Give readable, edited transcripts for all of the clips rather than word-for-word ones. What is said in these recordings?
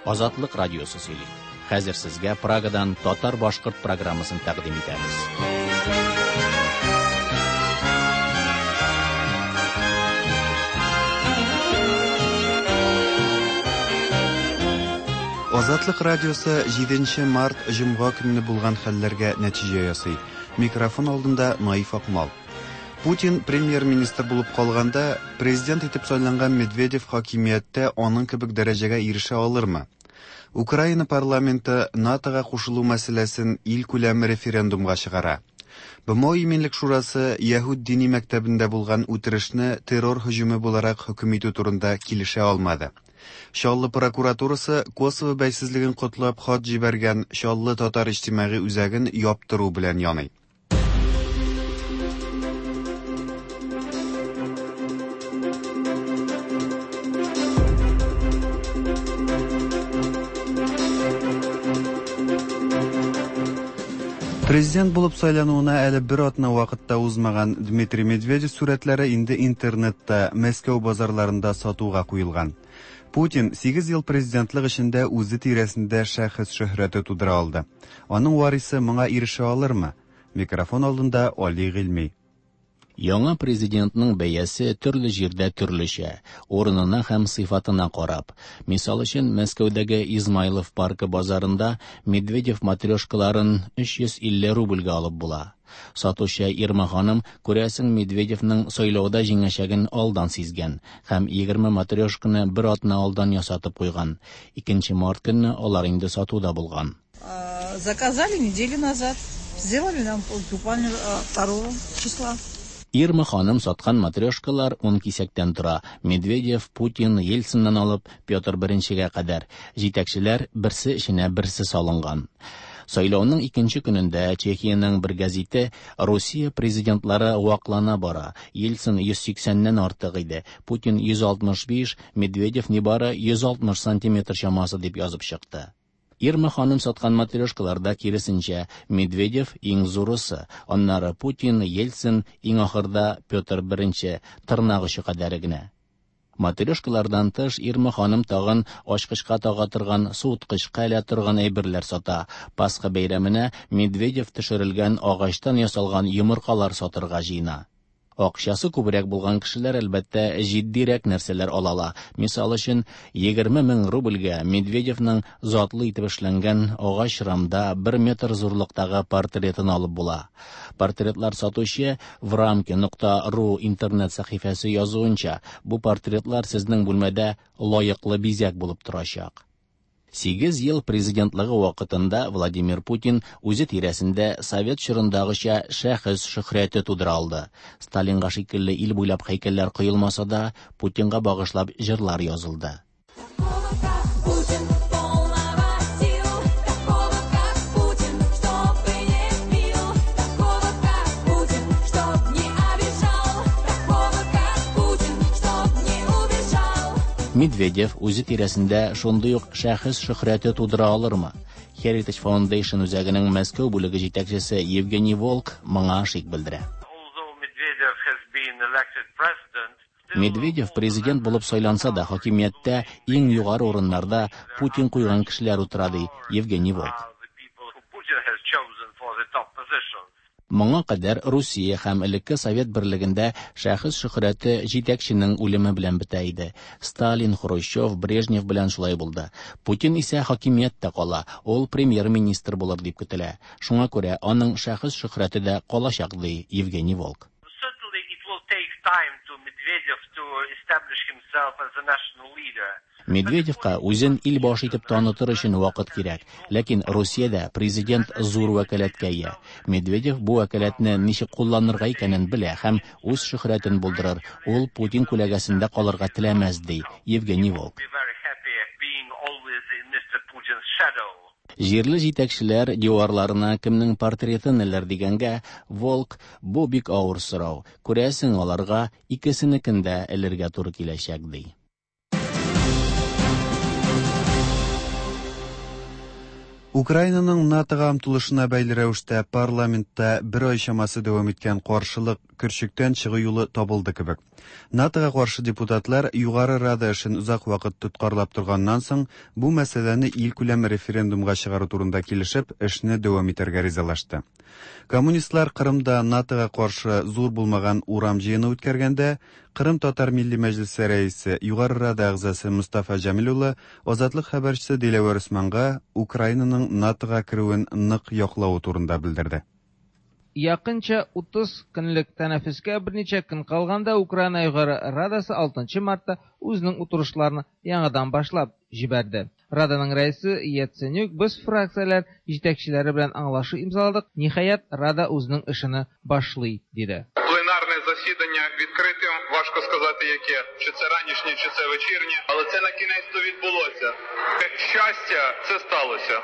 Азатлык радиосы сөйли. Хәзер сезгә Прагадан татар-башкорт программасын тәкъдим итәбез. Азатлык радиосы 7 март җомга көнне булган хәлләргә нәтиҗә ясый. Микрофон алдында Наиф Акмал. Путин премьер-министр булып калганда, президент итеп сайланган Медведев хакимияттә аның кебек дәрәҗәгә ирешә алырмы? Украина парламенты НАТОга кушылу мәсьәләсен илкүләм референдумга чыгара. БМО Иминлек шурасы Яһүд дини мәктәбендә булган үтерешне террор һөҗүме буларак хөкем итү турында килешә алмады. Чаллы прокуратурасы Косово бәйсезлеген котлап хат җибәргән Чаллы татар иҗтимагый үзәген яптыру белән яный. Президент булып сайлануына әле бер атна вакыт та узмаган Дмитрий Медведев сурәтләре инде интернетта, Мәскәү базарларында сатуга куелган. Путин 8 ел президентлык эчендә үзе тирәсендә шәхес шөһрәте тудыра алды. Аның варисы моңа ирешә алырмы? Микрофон алдында Али Гыйльми. Яңа президентның бәясе төрле җирдә төрлечә, урынына һәм сыйфатына карап. Мисал өчен, Мәскәүдәге Измайлов паркы базарында Медведев матрешкаларын 350 рубльгә алып була. Сатучы Ирма ханым, күрәсең, Медведевның сайлауда җиңәчәген алдан сизгән һәм 20 матрешканы бер атна алдан ясатып куйган. 2 март көнне алар инде сатуда булган. Заказали неделю назад. Сделали нам буквально 2 числа. Ирма ханым саткан матрешкалар 10 кисәктән тора. Медведев, Путин, Ельциннан алып Петр I-гә кадәр. Җитәкчеләр берсе эченә берсе салынган. Сайлауның икенче көнендә Чехиянең бер гәзите Русия президентлары ваклана бара. Ельцин 180-нән артык иде. Путин 165, Медведев нибары 160 сантиметр чамасы дип язып чыкты. Ирма ханым саткан матрешкаларда киресенчә, Медведев иң зурысы, аннары Путин, Ельцин, иң ахырда Петр I, тырнак очы кадәре генә. Матрешкалардан тыш Ирма ханым тагын ачкычка тага торган, суыткычка элә торган әйберләр сата. Пасха бәйрәменә Медведев төшерелгән агачтан ясалган йомыркалар сатырга җыена. Акчасы күбрәк булган кешеләр, әлбәттә, җитдирәк нәрсәләр ала ала. Мисал өчен, 20 мең рубльгә Медведевның затлы итеп эшләнгән агач рамда 1 метр зурлыктагы портретын алып була. Портретлар сатучы врамки.ру интернет сәхифәсе язуынча, бу портретлар сезнең бүлмәдә лаеклы бизәк булып торачак. 8 ел президентлыгы вакытында Владимир Путин үзе тирәсендә совет чорындагыча шәхес шөһрәте тудыра алды. Сталинга шикелле ил буйлап һәйкәлләр коелмаса да, Путинга багышлап җырлар язылды. Такого, как Путин, полного сил, такого, как Путин, чтобы не пил, такого, как Путин, чтоб не обижал, такого, как Путин, чтоб не убежал. Медведев үзе тирәсендә шундый ук шәхес шөһрәте тудыра алырмы? Heritage Foundation үзәгенең Мәскәү бүлеге җитәкчесе Евгений Волк моңа шик белдерә. Although Medvedev has been elected president, Медведев президент булып сайланса да, хакимияттә иң югары урыннарда Путин куйган кешеләр утыра, ди Евгений Волк. the people who Putin has chosen for the top positions. Моңа кадәр Русия һәм элекке Совет берлегендә шәхес шөһрәте җитәкченең үлеме белән бетә иде. Сталин, Хрущев, Брежнев белән шулай булды. Путин исә хакимияттә кала, ул премьер-министр булыр дип көтелә. Шуңа күрә аның шәхес шөһрәте дә калачак, ди Евгений Волк. Certainly it will take time to Medvedev to establish himself as a national leader. Медведевка үзен ил башы итеп танытыр өчен вакыт кирәк. Ләкин Русиядә президент зур вәкаләткә ия. Медведев бу вәкаләтне ничек кулланырга икәнен белә һәм үз шөһрәтен булдырыр. Ул Путин күләгәсендә калырга теләмәс, ди Евгений Волк. Be very happy being always in Mr. Putin's shadow. Җирле җитәкчеләр диварларына кемнең портретын элер дигәнгә, Волк бу бик авыр сорау. Күрәсең, аларга икесенекен дә элергә туры киләчәк, ди. Украинаның НАТОга омтылышына бәйле рәвештә парламентта бер ай чамасы дәвам иткән каршылык көрчектән чыгу юлы табылды кебек. НАТОга каршы депутатлар Югары Рада эшен озак вакыт тоткарлап торганнан соң, бу мәсьәләне илкүләм референдумга чыгару турында килешеп, эшне дәвам итәргә ризалашты. Коммунистлар Кырымда НАТОга каршы зур булмаган урам җыены үткәргәндә, Кырым татар милли мәҗлесе рәисе, Югары Рада әгъзасы Мостафа Җәмил улы Азатлык хәбәрчесе Диләвәр Усманга Украинаның НАТОга керүен нык яклавы турында белдерде. Якынча 30 көнлек тәнәфескә берничә көн калганда Украина Югары Радасы 6 мартта үзенең утырышларын яңадан башлап җибәрде. Раданың рәисе Яценюк без фракцияләр җитәкчеләре белән аңлашу имзаладык, ниһаять Рада үзенең эшене башлый, диде. Пленарне засідання відкритим, важко сказати яке, чи це ранішнє, чи це вечірнє, але це на кінець-то відбулося. Щастя, це сталося.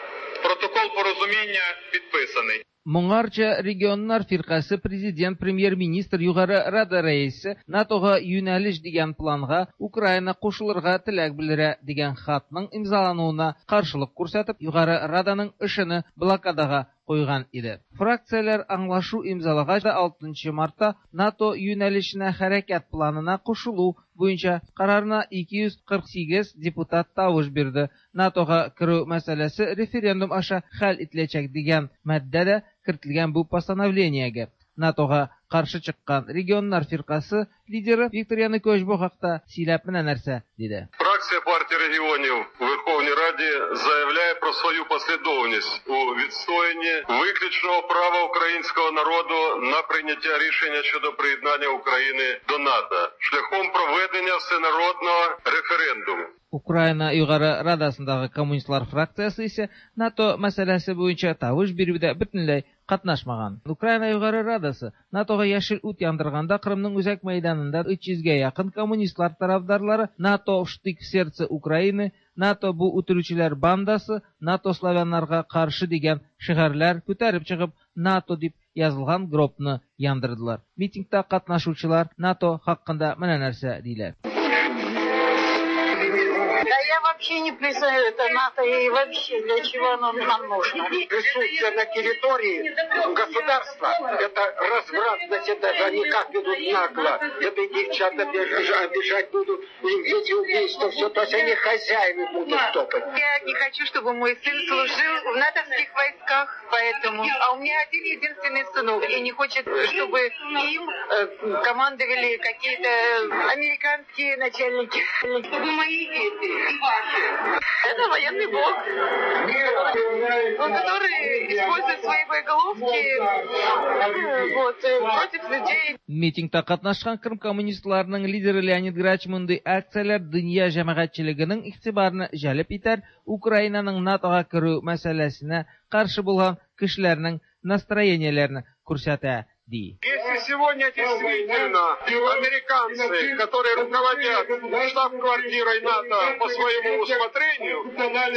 Протокол порозуміння підписаний. Моңарча регионнар фиркасе президент, премьер-министр, Югары Рада рәисе НАТОга юнәлеш дигән планга Украина кушылырга теләк белдерә дигән хатның имзалануына каршылык күрсәтеп, Югары Раданың эшене блокадага куйган иде. Фракцияләр аңлашу имзалагач да 6 мартта НАТО юнәлешенә хәрәкәт планына кушылу буенча карарына 248 депутат тавыш бирде. НАТОга керү мәсьәләсе референдум аша хәл ителәчәк дигән маддә дә кертелгән бу постановлениегә. НАТОга каршы чыккан регионнар фиркасы лидеры Виктор Янукович бу хакта сөйләп менә нәрсә диде. Фракція партії регіонів у Верховній Раді заявляє про свою послідовність у відстоянні виключного права українського народу на прийняття рішення щодо приєднання України до НАТО шляхом проведення всенародного референдуму. Украина Югары Радасындагы коммунистлар фракциясе исә НАТО мәсьәләсе буенча тавыш бирүдә бөтенләй катнашмаган. Украина Югары Радасы НАТОга яшел ут яндырганда Кырымның үзәк мәйданында 300гә якын коммунистлар тарафдарлары НАТО штык в сердце Украины, НАТО бу үтерүчеләр бандасы, НАТО славяннарга каршы дигән шигарьләр күтәреп чыгып НАТО дип язылган гробны яндырдылар. Митингта катнашучылар НАТО хакында менә нәрсә диләр. Да я вообще не признаю это НАТО и вообще для чего оно нам нужно. Присутствие на территории государства, это развратность, это они как ведут нагло. Это и девчат обижать будут, и эти убийства, все, то есть они хозяевы будут топать. Я не хочу, чтобы мой сын служил в натовских войсках, поэтому... А у меня один единственный сынок, и не хочет, чтобы им командовали какие-то американские начальники. Чтобы мои дети и ваши. Это военный блок, который использует свои боеголовки вот, против людей. Митингта катнашкан Крым коммунистларының лидеры Леонид Грач мондый акцияләр дөнья җәмәгатьчелегенең игътибарны җәлеп итәр, Украинаның НАТОга керү мәсьәләсенә каршы булган кешеләрнең настроениеләрен күрсәтә, ди. Если сегодня действительно американцы, которые руководят штаб-квартирой НАТО по своему усмотрению,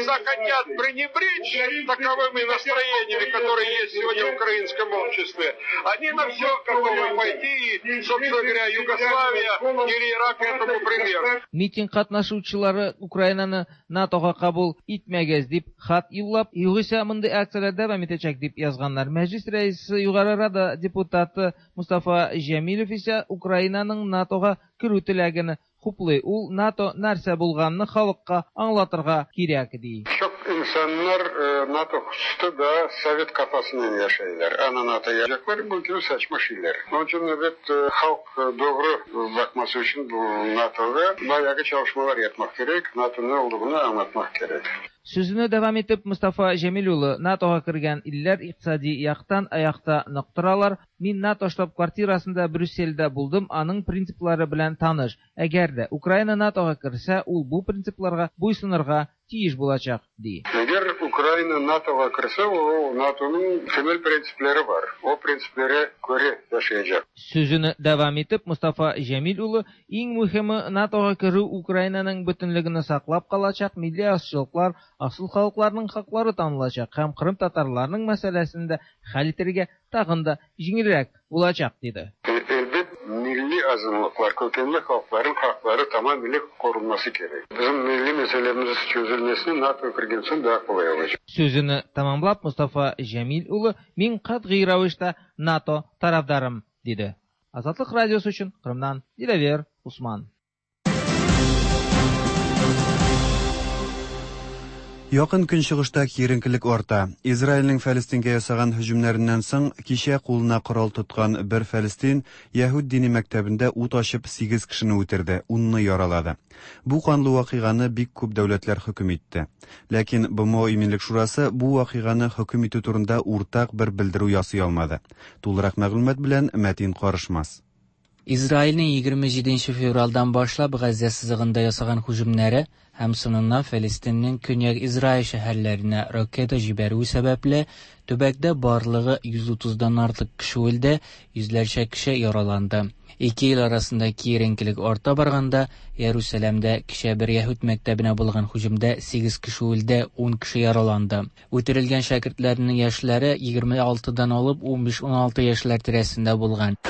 захотят пренебречь таковыми настроениями, которые есть сегодня в украинском обществе, они на все готовы пойти, и, собственно говоря, Югославия или Ирак этому пример. Митинг катнашучылары Украинаны НАТОга кабул итмәгез дип хат юллап, югыйсә мондый акцияләр дәвам итәчәк дип язганнар. Мәҗлис рәисе Югары Рада депутаты Мустафа Җәмилев исә Украинаның НАТОга керү теләген хуплый. Ул НАТО нәрсә булганны халыкка аңлатырга кирәк ди. Çok insanlar NATO hususta da Sovet kafasından yaşayırlar. Ana NATO yapacaklar, bu gibi saçma şeyler. Onun için evet halk doğru bakması için bu NATO'da bayağı çalışmalar yapmak gerek. NATO'nun ne olduğunu anlatmak gerek. Сүзен дәвам итеп Мустафа Җәмил улы НАТОга кергән илләр икътисади яктан аякта нык торалар. Мин НАТО штаб-квартирасында Брюссельдә булдым, аның принциплары белән таныш. Әгәр дә Украина НАТОга керсә, ул бу принципларга буйсынырга тиеш булачак, ди. Әгәр Украина НАТОга керсә, ул НАТОның темел принциплары бар. О принципләре күрә яшәячәк. Сүзен дәвам итеп Мустафа Җәмил улы иң мөһиме НАТОга керү Украинаның бөтенлеген саклап калачак, милли азчылыклар, асыл халыкларның хаклары танылачак һәм Кырым татарларының мәсьәләсен дә хәл итәргә тагын да җиңелрәк булачак, диде. Elbet milli azınlıklar, kökenli halkların hakları tamamıyla korunması gerek. Bizim milli meselemiz çözülmesini NATO kirgen soң daha kolay olacak. Сүзен tamamlап Мустафа Җәмил улы мин катгый рәвештә НАТО тарафдарым, диде. Азатлык радиосы өчен Кырымнан Диләвер Усман. Якын Көнчыгышта киеренкелек арта. Израильнең Фәлестингә ясаган һөҗүмнәреннән соң, кичә кулына корал тоткан бер фәлестин яһүд дини мәктәбендә ут ачып сигез кешене үтерде, унны яралады. Бу канлы вакыйганы бик күп дәүләтләр хөкем итте. Ләкин БМО Иминлек шурасы бу вакыйганы хөкем итү турында уртак бер белдерү ясый алмады. Тулырак мәгълүмат белән Мәтин Карышмас. Израильнең 27 февральдан башлап Газзә сызыгында ясаган һөҗүмнәре һәм соңыннан Фәлестиннең Көньяк Израиль шәһәрләренә ракета җибәрүе сәбәпле, төбәктә барлыгы 130 дан артык кеше үлде, йөзләрчә кеше яраланды. Ике ил арасында киеренкелек арта барганда, Иерусалимдә кичә бер яһүд мәктәбенә булган һөҗүмдә 8 кеше үлде, 10 кеше яраланды. Үтерелгән шәкертләрнең яшьләре 26 дан алып 15-16 яшьләр тирәсендә булган.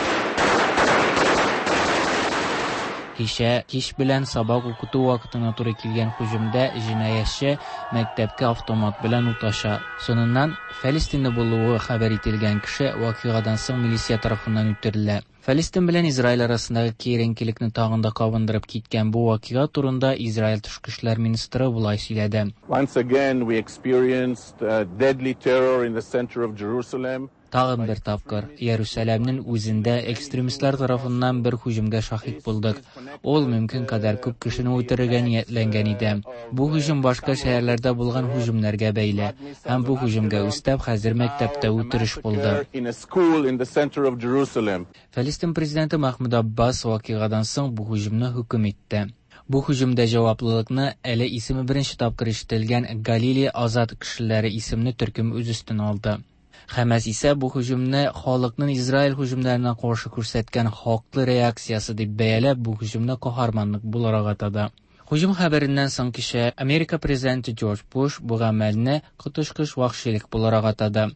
Кичә кич белән сабак укыту вакытына туры килгән һөҗүмдә җинаятьче мәктәпкә автомат белән ут ача. Соңыннан Фәлестинле булуы хәбәр ителгән кеше вакыйгадан соң милиция тарафыннан үтерелә. Фәлестин белән Израиль арасындагы киеренкелекне тагын да кабындырып киткән бу вакыйга турында Израиль тышкы эшләр министры болай сөйләде. Once again we experienced deadly terror in the center of Jerusalem. Тагын бер тапкыр Иерусалимнең үзендә экстремистлар тарафыннан бер һөҗүмгә шаһит булдык. Ул мөмкин кадәр күп кешене үтерергә ниятләнгән иде. Бу һөҗүм башка шәһәрләрдә булган һөҗүмнәргә бәйле. Һәм бу һөҗүмгә өстәп хәзер мәктәптә үтереш булды. In a school in the center of Jerusalem. Фәлестин президенты Махмуд Аббас вакыйгадан соң бу һөҗүмне хөкем итте. Бу һөҗүмдә җаваплылыкны әле исеме беренче тапкыр ишетелгән Галилей азат кешеләре исемле төркем үз өстенә алды. Хәмәс исә бу һөҗүмне халыкның Израиль һөҗүмнәренә каршы күрсәткән хаклы реакциясе дип бәяләп, бу һөҗүмне каһарманлык буларак атады. Һөҗүм хәбәреннән соң кичә Америка президенты Джордж Буш бу гамәлне коточкыч вәхшилек буларак атады.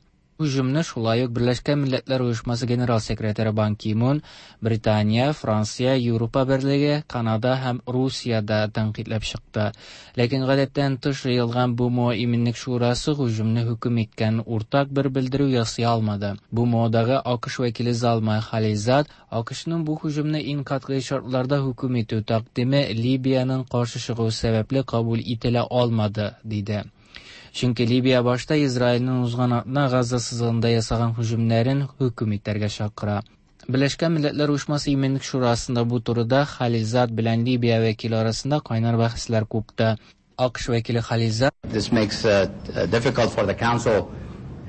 Һөҗүмне шулай ук Берләшкән Милләтләр Оешмасы генерал секретаре Бан Ки Мун, Британия, Франция, Европа берлеге, Канада һәм Русия дә тәнкыйтьләп чыкты. Ләкин гадәттән тыш җыелган БМО Иминлек шурасы һөҗүмне хөкем иткән уртак бер белдерү ясый алмады. БМОдагы АКШ вәкиле Залмай Халилзад АКШның бу һөҗүмне иң катгый шартларда хөкем итү тәкъдиме Либиянең каршы чыгуы сәбәпле кабул ителә алмады, диде. Чөнки Либия башта Израильнең узган атна Газа сызыгында ясаган һөҗүмнәрен хөкем итәргә чакыра. Берләшкән Милләтләр Оешмасы Иминлек шурасында бу турыда Халилзад белән Либия вәкиле арасында кайнар бәхәсләр купты. АКШ вәкиле Халилзад This makes it difficult for the council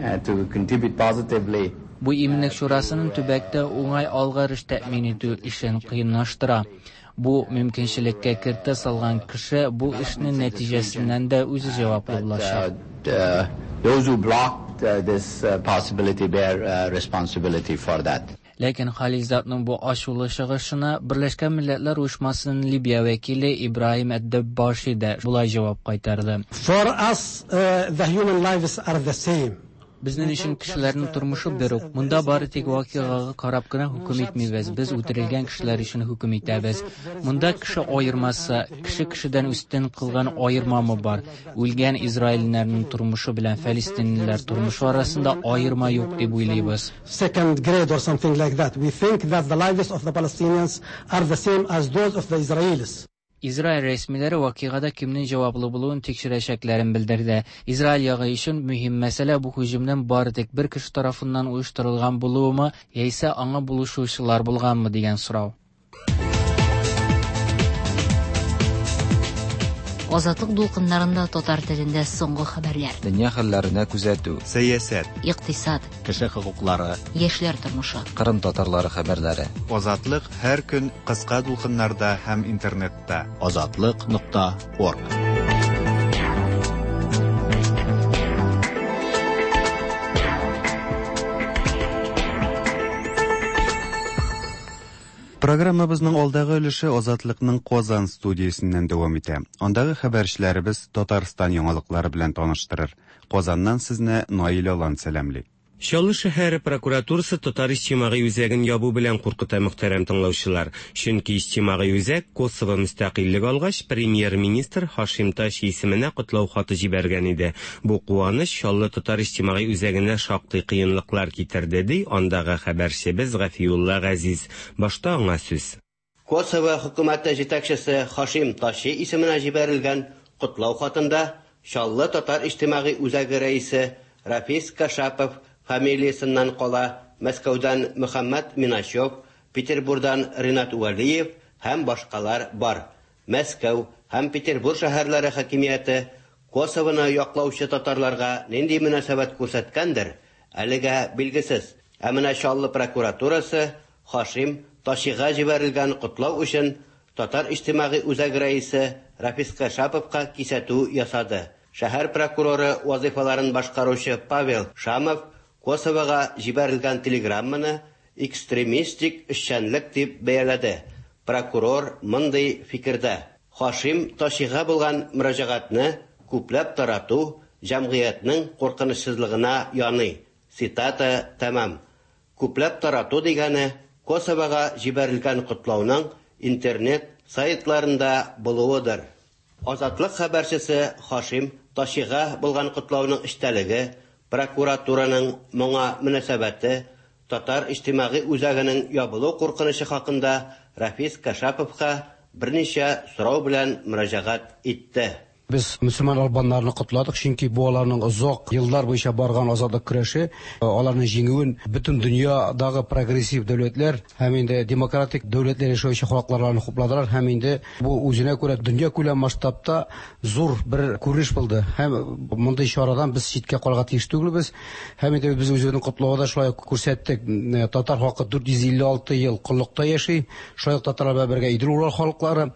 to contribute positively. Бу Иминлек шурасының төбәктә уңай алгарыш тәэмин итү эшен кыенлаштыра. Бу мөмкинчелеккә кертә салган кеше бу эшнең нәтиҗәсеннән дә үзе җаваплы булачак. Those who blocked this possibility bear responsibility for that. Ләкин Халилзадның бу ачулы чыгышына Берләшкән Милләтләр Оешмасының Либия вәкиле Ибраһим Әд-Дәббаши да болай җавап кайтарды. For us, the human lives are the same. Безнең өчен кешеләрнең тормышы бер үк. Монда бары тик вакыйгага карап кына хөкем итмибез. Без үтерелгән кешеләр өчен хөкем итәбез. Монда кеше аермасы, кеше кешедән өстен кылган аермамы бар? Үлгән израильләрнең тормышы белән фәлестинлеләр тормышы арасында аерма юк дип уйлыйбыз. Second grade or something like that. We think that the lives of the Palestinians are the same as those of the Israelis. Израиль рәсмиләре вакыйгада кемнең җаваплы булуын тикшерәчәкләрен белдерде. Израиль ягы өчен мөһим мәсьәлә бу һөҗүмнең бары тик бер кеше тарафыннан оештырылган булуымы, яисә аңа булышучылар булганмы дигән сорау. Азатлык дулкыннарында татар телендә соңгы хәбәрләр. Дөнья хәлләренә күзәтү. Сәясәт. Икътисад. Кеше хокуклары. Яшьләр тормышы. Кырым татарлары хәбәрләре. Азатлык һәр көн кыска дулкыннарда һәм интернетта. Азатлык.орг. Программабызның алдагы өлеше Азатлыкның Казан студиясеннән дәвам итә. Андагы хәбәрчеләребез Татарстан яңалыклары белән таныштырыр. Казаннан сезне Наил Алан сәламли. Чаллы шәһәре прокуратурасы Татар иҗтимагый үзәген ябу белән куркыта, мөхтәрәм тыңлаучылар. Чөнки иҗтимагый үзәк Косово мөстәкыйльлек алгач, премьер-министр Һашим Тачи исеменә котлау хаты җибәргән иде. Бу куаныч Чаллы татар иҗтимагый үзәгенә шактый кыенлыклар китерде, ди андагы хәбәрчебез Гафиулла Газиз. Башта аңа сүз. Косово хөкүмәте җитәкчесе Хашим Тачи исеменә җибәрелгән котлау хатында Чаллы татар иҗтимагый үзәге рәисе Рафис Кашапов фамилиясеннән кала Мәскәүдән Мөхәммәт Миначев, Петербурдан Ринат Вәлиев һәм башкалар бар. Мәскәү һәм Петербур шәһәрләре хакимияте Косовоны яклаучы татарларга нинди мөнәсәбәт күрсәткәндер, әлегә билгесез. Ә менә Чаллы прокуратурасы Хашим Тачига җибәрелгән котлау өчен Татар иҗтимагый үзәге рәисе Рафис Кашаповка кисәтү ясады. Шәһәр прокуроры вазыйфаларын башкаручы Павел Шамов Косовога җибәрелгән телеграмманы экстремистик эшчәнлек дип бәяләде. Прокурор мондый фикердә. Хашим Тачига булган мөрәҗәгатьне күпләп тарату җәмгыятьнең куркынычсызлыгына яный. Цитата тәмам. Күпләп тарату дигәне Косовога җибәрелгән котлауның интернет сайтларында булуыдыр. Азатлык хәбәрчесе Хашим Тачига булган котлауның эчтәлеге, прокуратураның моңа мөнәсәбәте, Татар иҗтимагый үзәгенең ябылу куркынычы хакында Рафис Кашаповка берничә сорау белән мөрәҗәгать итте. Без мөселман албаннарны котладык, чөнки бу аларның озак еллар буенча барган азатлык көрәше, аларның җиңүен бөтен дөньядагы прогрессив дәүләтләр һәм инде демократик дәүләтләр яшәүче халыклар аларны хупладылар һәм инде бу үзенә күрә дөньякүләм масштабта зур бер күренеш булды. Һәм мондый чарадан без читкә калырга тиеш түгелбез. Һәм инде без үзебезнең котлауда шулай ук күрсәттек. Татар халкы 456 ел коллыкта яши. Шулай ук татарлар белән бергә Идел-Урал халыклары,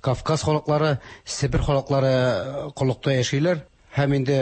Кавказ халыклары, Себер халыклары коллыкта яшиләр. Һәм инде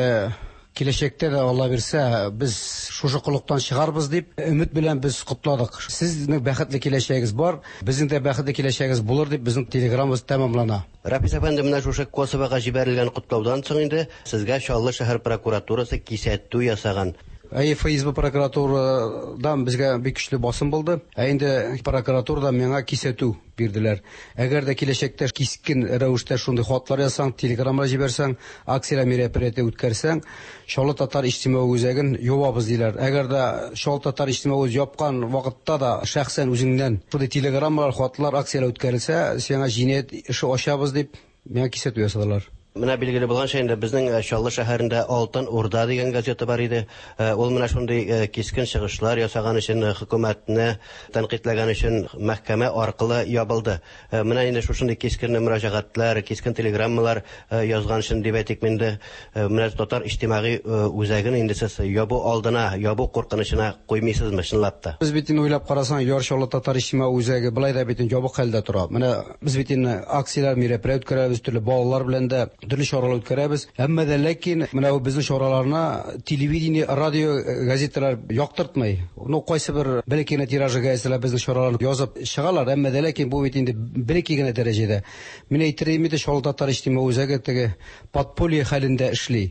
киләчәктә дә, Алла бирсә, без шушы коллыктан чыгарбыз дип өмет белән без котладык. Сезнең бәхетле киләчәгегез бар, безнең дә бәхетле киләчәгебез булыр дип безнең телеграммабыз тәмамлана. Рафис әфәнде, менә шушы Косовога җибәрелгән котлаудан соң инде сезгә Чаллы шәһәр прокуратурасы кисәтү ясаган. Әйе, ФСБ прокуратурадан безгә бик көчле басым булды. Ә инде прокуратурадан миңа кисәтү бирделәр. Әгәр дә киләчәктә кискен рәвештә шундый хатлар язсаң, телеграммалар җибәрсәң, акцияләр мероприятие үткәрсәң, Чаллы татар иҗтимагый үзәген ябабыз диләр. Әгәр дә Чаллы татар иҗтимагый үзәген япкан вакытта да шәхсән үзеңнән шундый телеграммалар, хатлар, акцияләр үткәрелсә, сиңа җинаять эше ачабыз дип миңа кисәтү ясадылар. Менә билгеле булганча инде безнең Чаллы шәһәрендә Алтын Урда дигән газета бар иде. Ул менә шундый кискен чыгышлар ясаган өчен, хөкүмәтне тәнкыйтьләгән өчен мәхкәмә аркылы ябылды. Менә инде шушындый кискен мөрәҗәгатьләр, кискен телеграммалар язган өчен дип әйтик инде, менә татар иҗтимагый үзәген инде сез ябу алдына, ябу куркынычына куймыйсызмы чынлап та? Без бит инде уйлап карасаң, Яр Чаллы татар иҗтимагый үзәге болай да бит инде ябык хәлдә тора. Менә Без бит инде акцияләр, мероприятие үткәрәбез, төрле балалар белән дә төрле чаралар үткәрәбез. Әмма дә ләкин менә бу безнең чараларны телевидение, радио, газеталар яктыртмый. Ну, кайсы бер бәләкәй генә тиражы газеталар безнең чараларны язып чыгалар, әмма дә ләкин бу бит инде бәләкәй генә дәрәҗәдә. Мин әйтер идем инде, Чаллы татар иҗтимагый үзәге теге подполье хәлендә эшли.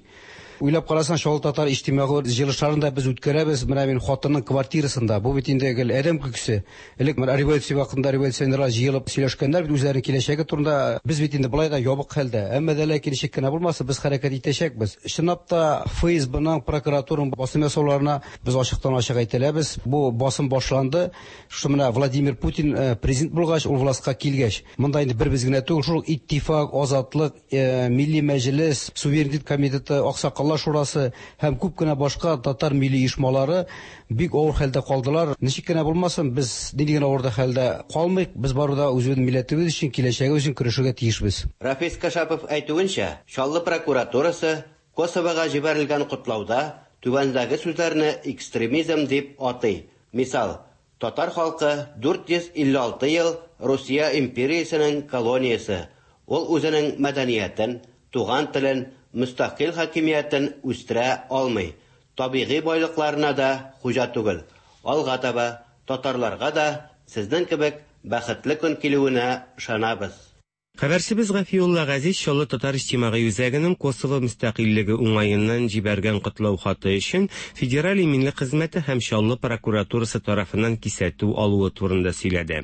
Уйлап карасаң, Чаллы татар иҗтимагый җыелышларын да без үткәрәбез. Менә мин хатынның квартирасында. Бу бит инде гел адәм көлкесе. Элек менә революция вакытында революционерлар җыелып сөйләшкәннәр бит үзләренең киләчәге турында. Без бит инде болай да ябык хәлдә. Әмма дә ләкин ничек кенә булмасын, без хәрәкәт итәчәкбез. Чынлап та ФСБның, прокуратураның басым ясауларына без ачыктан-ачык әйтәләбез. Бу басым башланды. Шушы менә Владимир Путин президент булгач, ул властька килгәч, монда инде бер без генә түгел, шул ук Иттифак, Азатлык, Милли Мәҗлес, Суверенитет комитеты, Аксакаллар шурасы һәм күп кенә башка татар милли оешмалары бик авыр хәлдә калдылар. Ничек кенә булмасын, без нинди генә авыр да хәлдә калмыйк, без барыбер да үзебезнең милләтебез өчен, киләчәгебез өчен көрәшергә тиешбез. Рафис Кашапов әйтүенчә, Чаллы прокуратурасы Косовога җибәрелгән котлауда түбәндәге сүзләрне экстремизм дип атый. Мисал, Татар халкы 456 ел Русия империясенең колониясе, ул үзенең мәдәниятен, туган телен, мөстәкыйль хакимиятен үстерә алмый, табигый байлыкларына да хуҗа түгел. Алга таба татарларга да сезнең кебек бәхетле көн килүенә ышанабыз. Хәбәрчебез Гафиулла Газиз Чаллы татар иҗтимагый үзәгенең Косово мөстәкыйльлеге уңаеннан җибәргән котлау хаты өчен Федераль иминлек хезмәте һәм Чаллы прокуратурасы тарафыннан кисәтү алуы турында сөйләде.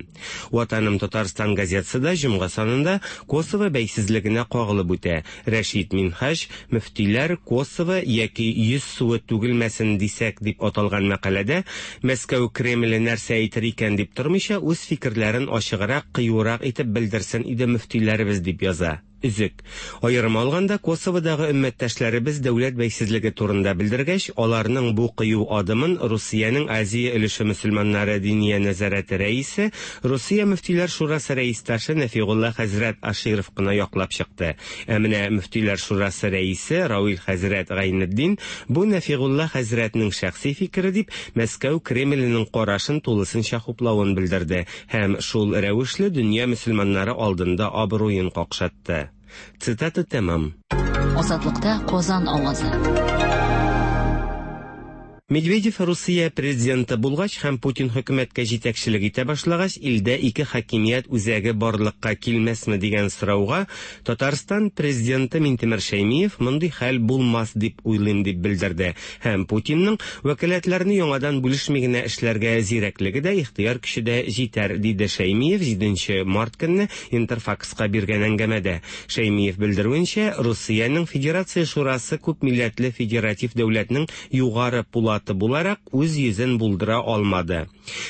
Ватаным Татарстан газетасы да җомга санында Косово бәйсезлегенә кагылып үтә. Рәшит Минһаҗ, Мөфтиләр Косово яки йөз суы түгелмәсен дисәк дип аталган мәкаләдә Мәскәү Кремле нәрсә әйтер икән дип тормыйча, үз фикерләрен ачыграк, кыюрак итеп белдерсен иде мөфтиләребез дип яза. Өзек. Аерым алганда, Косоводагы өммәттәшләребез дәүләт бәйсезлеге турында белдергәч, аларның бу кыю адымын Русиянең Азия өлеше мөселманнары Диния нәзарәте рәисе, Русия мөфтиләр шурасы рәисташы Нәфигулла хәзрәт Аширов кына яклап чыкты. Ә менә Мөфтиләр шурасы рәисе Равил хәзрәт Гайнетдин бу Нәфигулла хәзрәтнең шәхси фикере дип, Мәскәү Кремленең карашын тулысынча хуплавын белдерде һәм шул рәвешле дөнья мөселманнары алдында абруен какшатты. Цитата тәмам. Азатлыкта Казан авазы. Медведев Русия президенты булгач һәм Путин хөкүмәткә җитәкчелек итә башлагач, илдә ике хакимият үзәге барлыкка килмәсме дигән сорауга Татарстан президенты Минтимер Шәймиев мондый хәл булмас дип уйлыйм дип белдерде һәм Путинның вәкаләтләрне яңадан бүлешми генә эшләргә зирәклеге дә, ихтыяр көче дә җитәр, диде Шәймиев 7 март көнне Интерфакска биргән әңгәмәдә. Шәймиев белдерүенчә, Русиянең Федерация Шурасы күпмилләтле федератив дәүләтнең югары пулаты буларак үз йөзен булдыра алмады.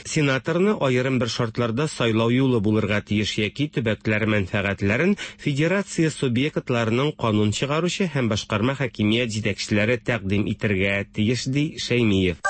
Сенаторны аерым бер шартларда сайлау юлы булырга тиеш яки төбәкләр мәнфәгатьләрен федерация субъектларының канун чыгаручы һәм башкарма хакимият җитәкчеләре тәкъдим итергә тиеш, ди Шәймиев.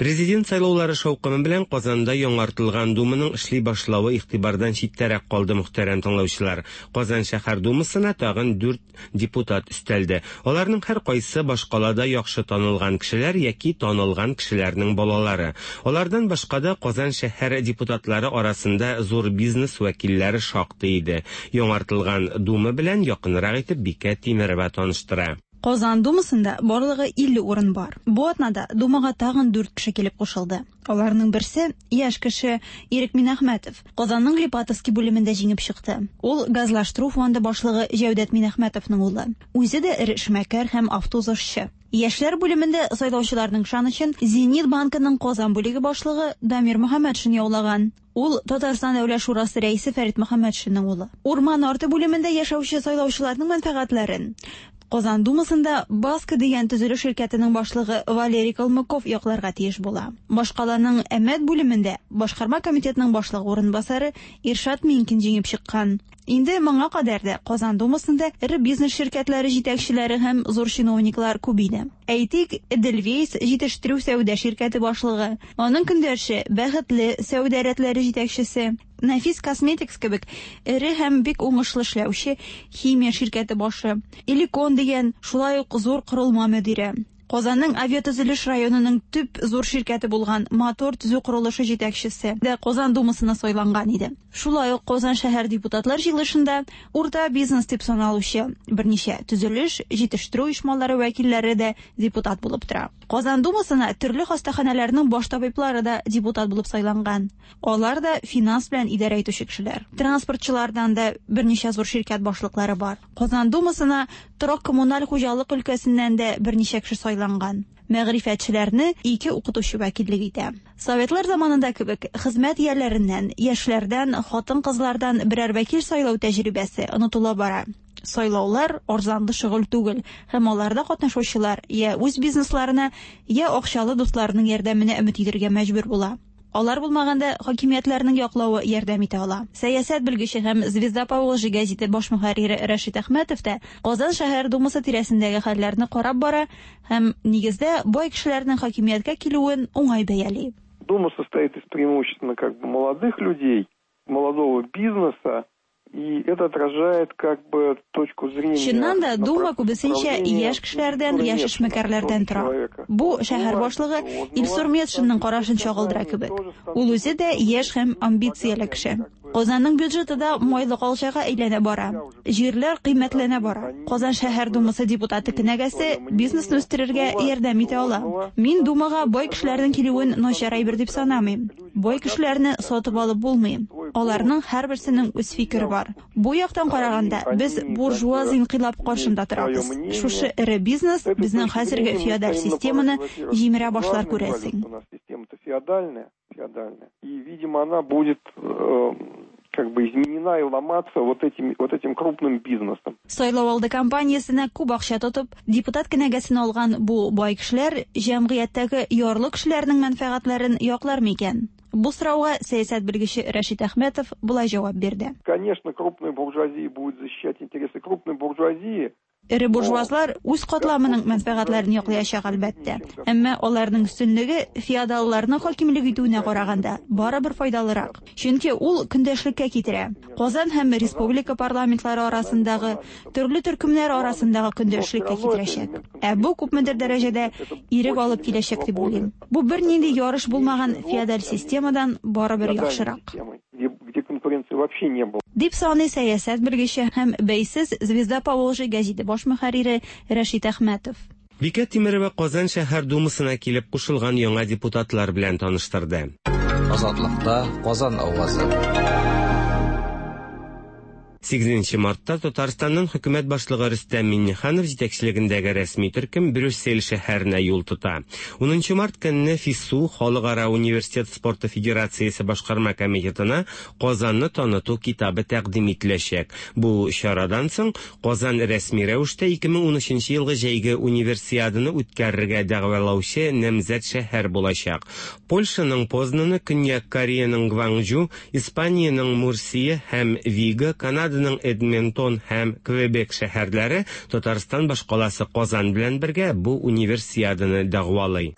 Президент сайлаулары шаукымы белән Казанда яңартылган Думаның эшли башлавы игътибардан читтәрәк калды, мөхтәрәм тыңлаучылар. Казан шәһәр Думасына тагын 4 депутат өстәлде. Аларның һәркайсы башкалада яхшы танылган кешеләр яки танылган кешеләрнең балалары. Алардан башка да Казан шәһәр депутатлары арасында зур бизнес вәкилләре шактый иде. Яңартылган Дума белән якынрак итеп Бикә Тимерова таныштыра. Казан Думасында барлыгы 50 урын бар. Бу атнада Думага тагын 4 кеше килеп кушылды. Аларның берсе яшь кеше Ирек Минәхмәтов. Казанның Липатовский бүлемендә җиңеп чыкты. Ул газлаштыру фонды башлыгы Җәүдәт Минәхмәтовның улы. Үзе дә эре эшмәкәр һәм автоузышчы. Яшьләр бүлемендә сайлаучыларның ышанычын Зенит банкының Казан бүлеге башлыгы Дамир Мөхәммәтшин яулаган. Ул Татарстан Дәүләт шурасы рәисе Фәрит Мөхәммәтшинның улы. Урман арты бүлемендә яшәүче сайлаучыларның мәнфәгатьләрен Казан Думасында Баска дигән төзелеш ширкәтенең башлыгы Валерий Калмыков якларга тиеш була. Башкаланың Әмәт бүлемендә башкарма комитетның башлыгы урынбасары Иршат Минкин җиңеп чыккан. Инде моңа кадәр дә Казан Думасында эре бизнес ширкәтләре җитәкчеләре һәм зур чиновниклар күп иде. Әйтик, Эдельвейс җитештерү сәүдә ширкәте башлыгы, аның көндәше Бәхетле сәүдә рәтләре җитәкчесе, Нәфис Косметикс кебек эре һәм бик уңышлы эшләүче химия ширкәте башы, Эликон дигән шулай ук зур корылма мөдире. Казанның авиатөзелеш районының төп зур ширкәте булган Мотор төзү корылышы җитәкчесе дә Казан Думасына сайланган иде. Шулай ук Казан шәһәр депутатлар җыелышында урта бизнес дип саналучы берничә төзелеш, җитештерү оешмалары вәкилләре дә депутат булып тора. Казан Думасына төрле хастаханәләрнең баш табиблары да депутат булып сайланган. Алар да финанс белән идарә итүче кешеләр. Транспортчылардан да берничә зур ширкәт башлыклары бар. Казан Думасына торак-коммуналь хуҗалык өлкәсеннән дә берничә кеше сайланган. Мәгърифәтчеләрне ике укытучы вәкиллек итә. Советлар заманында кебек хезмәт ияләреннән, яшьләрдән, хатын-кызлардан берәр вәкил сайлау тәҗрибәсе онытыла бара. Сайлаулар арзанлы шөгыль түгел, һәм аларда катнашучылар я үз бизнесларына, я акчалы дусларының ярдәменә өмет итәргә мәҗбүр була. Алар булмаганда хакимиятләрнең яклавы ярдәм итә ала. Сәясәт белгече һәм Звезда Поволжья гәзите баш мөхәррире Рәшит Әхмәтов та Казан шәһәр думасы тирәсендәге хәлләрне карап бара һәм нигездә бай кешеләрнең хакимияткә килүен уңай бәяли. Дума состоит из преимущественно как бы молодых людей, молодого бизнеса, и это отражает как бы точку зрения. Чыннан да Дума күбесенчә яшь кешеләрдән, яшь эшмәкәрләрдән тора. Бу шәһәр башлыгы Илсур Метшинның карашын чагылдыра кебек. Ул үзе дә яшь һәм амбицияле кеше. Казанның бюджеты да майлы калчага әйләнә бара. Җирләр кыйммәтләнә бара. Казан шәһәр думасы депутаты кенәгәсе бизнесны үстерергә ярдәм итә ала. Мин думага бай кешеләрнең килүен начар әйбер дип санамыйм. Бай кешеләрне сатып алып булмый. Аларның һәрберсенең үз фикере бар. Бу яктан караганда, без буржуаз инкыйлаб каршында торабыз. Шушы эре бизнес безнең хәзерге феодаль системаны җимерә башлар, күрәсең. У нас система-то феодальная, феодальная. И, видимо, она будет как бы изменена и ломаться вот этим крупным бизнесом. Сайлау алды кампаниясенә күп акча тотып, депутат кенәгәсен алган бу бай кешеләр җәмгыятьтәге ярлы кешеләрнең мәнфәгатьләрен яклар микән? Бу сорауга сәясәт белгече Рәшит Әхмәтов болай җавап бирде. Конечно, крупная буржуазия будет защищать интересы крупной буржуазии. Эре буржуазлар үз катламының мәнфәгатьләрен яклаячак, әлбәттә. Әмма аларның өстенлеге феодалларның хакимлек итүенә караганда барыбер файдалырак. Чөнки ул көндәшлеккә китерә. Казан һәм республика парламентлары арасындагы, төрле төркемнәр арасындагы көндәшлеккә китерәчәк. Ә бу күпмедер дәрәҗәдә ирек алып киләчәк дип уйлыйм. Бу бернинди ярыш булмаган феодаль системадан барыбер яхшырак. Где, где конкуренции вообще не было. Дип саный сәясәт белгече һәм бәйсез «Звезда Поволжья» гәзите баш мөхәррире Рәшит Әхмәтов. Бикә Тимерова Казан шәһәр думасына килеп кушылган яңа депутатлар белән таныштырды. Азатлыкта Казан авазы. 8 мартта Татарстанның хөкүмәт башлыгы Рөстәм Миңнеханов җитәкчелегендәге рәсми төркем Брюссель шәһәренә юл тота. 10 март көнне ФИСУ Халыкара университет спорты федерациясе башкарма комитетына Казанны таныту китабы тәкъдим ителәчәк. Бу чарадан соң Казан рәсми рәвештә 2013 елгы җәйге универсиаданы үткәрергә дәгъвалаучы намзәт шәһәр булачак. Польшаның Познаны, Көньяк Кореяның Гванчжу, Испаниянең Мурсия һәм Виго, Канаданың Эдмонтон һәм Квебек шәһәрләре Татарстан башкаласы Казан белән бергә бу универсиаданы дәгъвалый.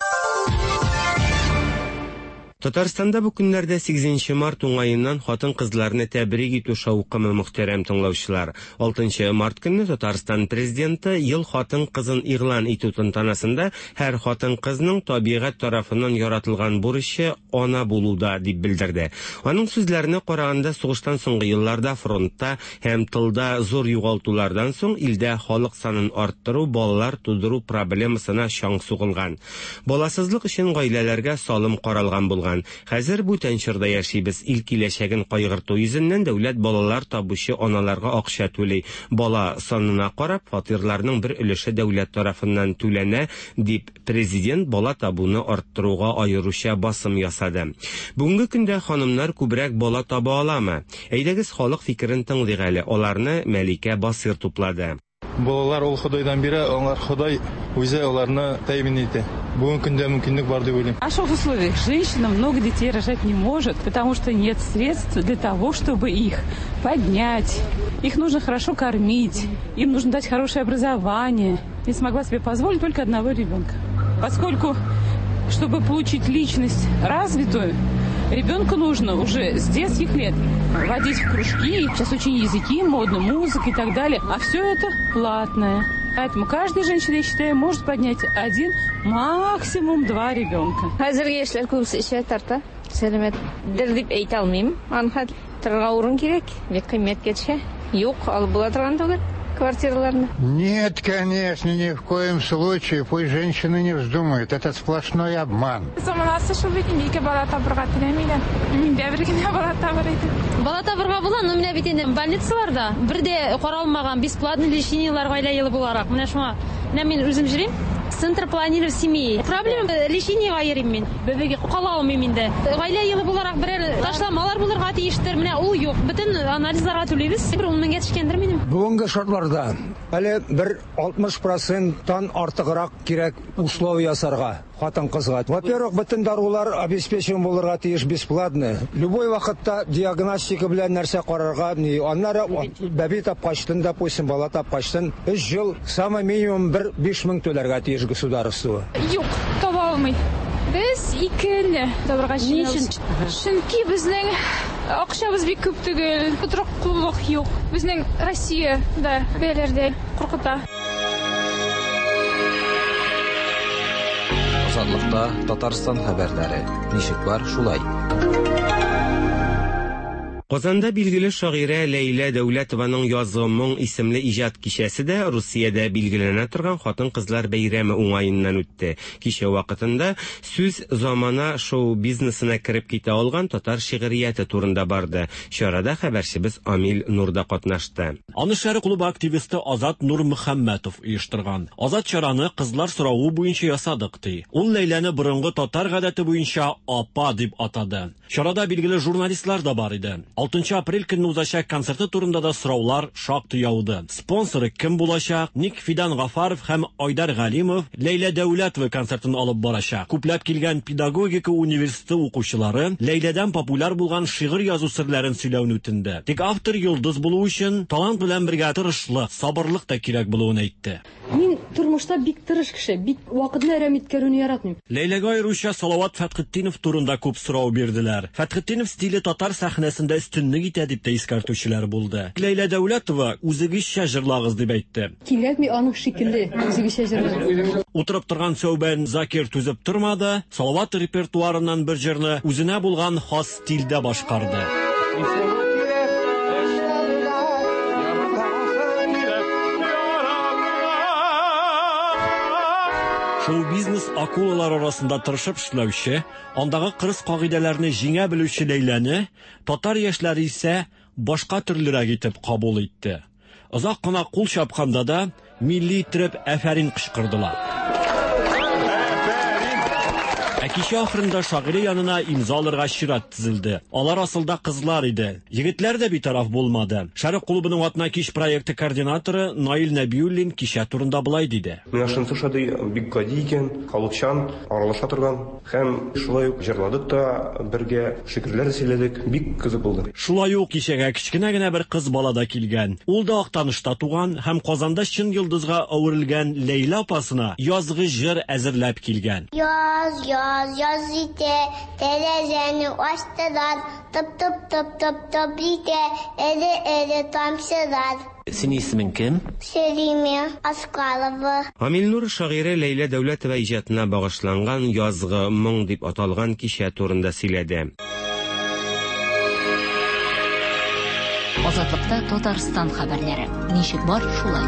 Татарстанда бу көннәрдә 8 март уңаеннан хатын-кызларны тәбрик итү шаукымы, мөхтәрәм тыңлаучылар. 6 март көнне Татарстан президенты ел хатын-кызын игълан итү тантанасында һәр хатын-кызның табигать тарафыннан яратылган бурычы ана булуда дип белдерде. Аның сүзләренә караганда, сугыштан соңгы елларда фронтта һәм тылда зур югалтулардан соң илдә халык санын арттыру, балалар тудыру проблемасына чаң сугылган. Баласызлык өчен гаиләләргә салым каралган булган. Хәзер бүтән чорда яшибез. Ил киләчәген кайгырту йөзеннән дәүләт балалар табучы аналарга акча түли. Бала санына карап, фатирларның бер өлеше дәүләт тарафыннан түләнә, дип президент бала табуны арттыруга аеруча басым ясады. Бүгенге көндә ханымнар күбрәк бала таба аламы? Әйдәгез, халык фикерен тыңлыйк әле. Аларны Мәликә Басыр туплады. Балалар ул Ходайдан бирә, аңар Ходай үзе аларны тәэмин итә. Бүгенге көндә мөмкинлек бар дип уйлыйм. В наших условиях женщина много детей рожать не может, потому что нет средств для того, чтобы их поднять. Их нужно хорошо кормить, им нужно дать хорошее образование. Я смогла себе позволить только одного ребенка. Поскольку, чтобы получить личность развитую, ребенку нужно уже с детских лет водить в кружки. Сейчас очень языки модны, музыка и так далее. А все это платное. Поэтому каждая женщина, я считаю, может поднять один, максимум два ребенка. Хәзерге яшьләр күбесе эчә, тарта. Сәламәтдер дип әйтә алмыйм. Аны торырга урын кирәк. Бик кыйммәткә төшә. Юк, алып була торган түгел квартираларны. Нет, конечно, ни в коем случае. Пусть женщины не вздумают. Это сплошной обман. Заманасы шул бит инде, ике бала табырга теләмиләр. Мин дә бер генә бала табыр идем. Бала табырга була, но менә бит инде больницаларда бер дә каралмаган бесплатный лечениелар гаилә елы буларак. Менә шуңа, менә мин үзем йөрим. Центр планирования семьи. Проблема лечениега йөрим мин. Бәбигә кала алмыйм инде. Гаилә елы буларак берәр ташламалар булырга тиештер. Менә ул юк. Бөтен анализларга түлибез. Бер 10 меңгә төшкәндер минем. Бүгенге шартларда әле бер 60 проценттан артыграк кирәк условия ясарга хатын-кызга. Во-первых, бөтен дарулар обеспечен булырга тиеш бесплатно. Любой вакытта диагностика белән нәрсә карарга, ни, аннары бәби тапкачтын, допустим, бала тапкачтын, 3 ел самый минимум бер 5 мең түләргә тиеш государство. Юк, таба алмый. Без икене табырга җыенабыз. Чөнки безнең акчабыз бик күп түгел, тотрыклылык юк. Безнең Россиядә бәяләр дә куркыта. Азатлыкта Татарстан хәбәрләре. Ничек бар, шулай. Казанда билгеле шагыйрә Ләйлә Дәүләтованың Язгы моң исемле иҗат кичәсе дә Русиядә билгеләнә торган хатын-кызлар бәйрәме уңаеннан үтте. Кичә вакытында сүз замана шоу-бизнесына кереп китә алган татар шигърияте турында барды. Чарада хәбәрчебез Амил Нур да катнашты. Аны Шәрык клубы активисты Азат Нурмөхәммәтов оештырган. Азат чараны кызлар соравы буенча ясадык, ди. Ул Ләйләне борынгы татар гадәте буенча апа дип атады. Чарада билгеле журналистлар да бар иде. 6 апрель көнне узачак концерты турында да сораулар шактый яуды. Спонсоры кем булачак? Ник Фидан Гафаров һәм Айдар Галимов Ләйлә Дәүләтова концертын алып барачак. Күпләп килгән педагогика университеты укучылары Ләйләдән популяр булган шигырь язу серләрен сөйләүне үтенде. Тик автор йолдыз булу өчен талант белән бергә тырышлык, сабырлык та кирәк булуын әйтте. Мин тормышта бик тырыш кеше, бик вакытны әрәм иткәрүне яратмыйм. Ләйләгә аеруча Салават Фәтхетдинов турында күп сорау бирделәр. Фәтхетдинов стиле татар сәхнәсендә өстенлек итә дип тә искәртүчеләр булды. Ләйлә Дәүләтова үзегезчә җырлагыз дип әйтте. Кирәкми аның шикелле үзегезчә җырлау. Утырып торган Сәүбән Закир түзеп тормады, Салават репертуарыннан бер җырны үзенә булган хас стильдә башкарды. Шоу-бизнес акулалар арасында тырышып эшләүче, андагы кырыс кагыйдәләрне җиңә белүче Ләйләне татар яшьләре исә башка төрлерәк итеп кабул итте. Озак кына кул чапканда да милли иттереп әфәрин кычкырдылар. Ә кичә ахырында шагыйрә янына имза алырга чират тезелде. Алар асылда кызлар иде. Егетләр дә битараф булмады. Шәрык клубының Атна кич проекты координаторы Наил Нәбиуллин кичә турында болай диде. Миңа шунысы ошады, бик гади икән, халыкчан, аралаша торган һәм шулай ук җырладык та бергә, шигырьләр дә сөйләдек, бик кызык булды. Шулай ук кичәгә кечкенә генә бер кыз бала да килгән. Ул да Актанышта туган һәм Казанда чын йолдызга әверелгән Ләйлә апасына язгы җыр әзерләп килгән. Яз, яз, яз җитә, тәрәзәне ачтылар, тып-тып-тып-тып-тып итә, эре-эре тамчылар. Синең исемең кем? Сәлимә Аскарова. Амил Нур шагыйрә Ләйлә Дәүләтова иҗатына багышланган Язгы моң дип аталган кичә турында сөйләде. Азатлыкта Татарстан хәбәрләре. Ничек бар, шулай.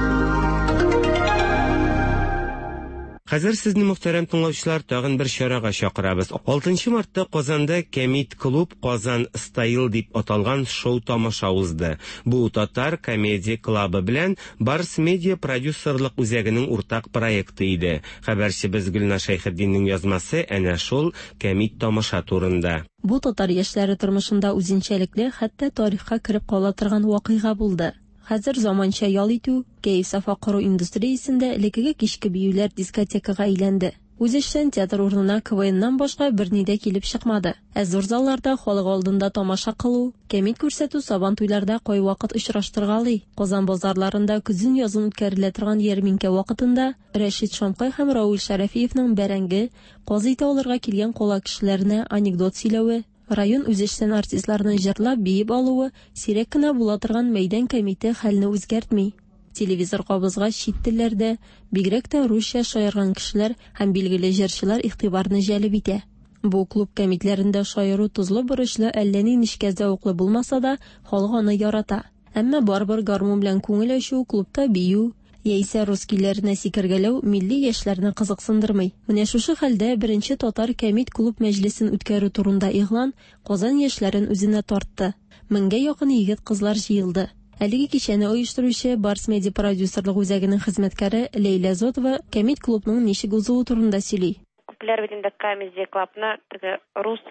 Хәзер сезне, мөхтәрәм тыңлаучылар, тагын бер чарага чакырабыз. 6 мартта Казанда Кәмит клуб Казан Стайл дип аталган шоу-тамаша узды. Бу татар комедия клабы белән Барс Медиа продюсерлык үзәгенең уртак проекты иде. Хәбәрчебез Гөлназ Шәйхетдиннең язмасы әнә шул кәмит тамаша турында. Бу татар яшьләре тормышында үзенчәлекле, хәтта тарихка кереп кала торган вакыйга булды. Хәзер заманча ял итү, кәеф-сафа кору индустриясендә элеккеге кичке биюләр дискотекага әйләнде. Үзешчән театр урынына КВНнан башка берни дә килеп чыкмады. Ә зур залларда халык алдында тамаша кылу, кәмит күрсәтү сабантуйларда кайвакыт очраштыргалый. Казан базарларында көзен-язын үткәрелә торган ярминкә вакытында Рәшит Шамкай һәм Равил Шәрәфиевның бәрәңге, каз ите алырга килгән кала кешеләренә анекдот сөйләве, район үзешчән артистларының җырлап, биеп алуы сирәк кенә була торган мәйдан кәмите хәлне үзгәртми. Телевизор кабызгач чит телләрдә, бигрәк тә русча шаярган кешеләр һәм билгеле җырчылар игътибарны җәлеп итә. Бу клуб кәмитләрендә шаяру тозлы-борычлы, әллә ни нечкә зәвыклы булмаса да, халык аны ярата. Әмма барыбер гармун белән күңел ачу, клубта бию, яисә рус көйләренә сикергәләү милли яшьләрне кызыксындырмый. Менә шушы хәлдә беренче татар кәмит клуб мәҗлесен үткәрү турында игълан Казан яшьләрен үзенә тартты. Меңгә якын егет-кызлар җыелды. Әлеге кичәне оештыручы Барс Медиа продюсерлык үзәгенең хезмәткәре Ләйлә Зотова кәмит клубның ничек узуы турында сөйли. Күпләр бит инде Comedy Club-ны теге рус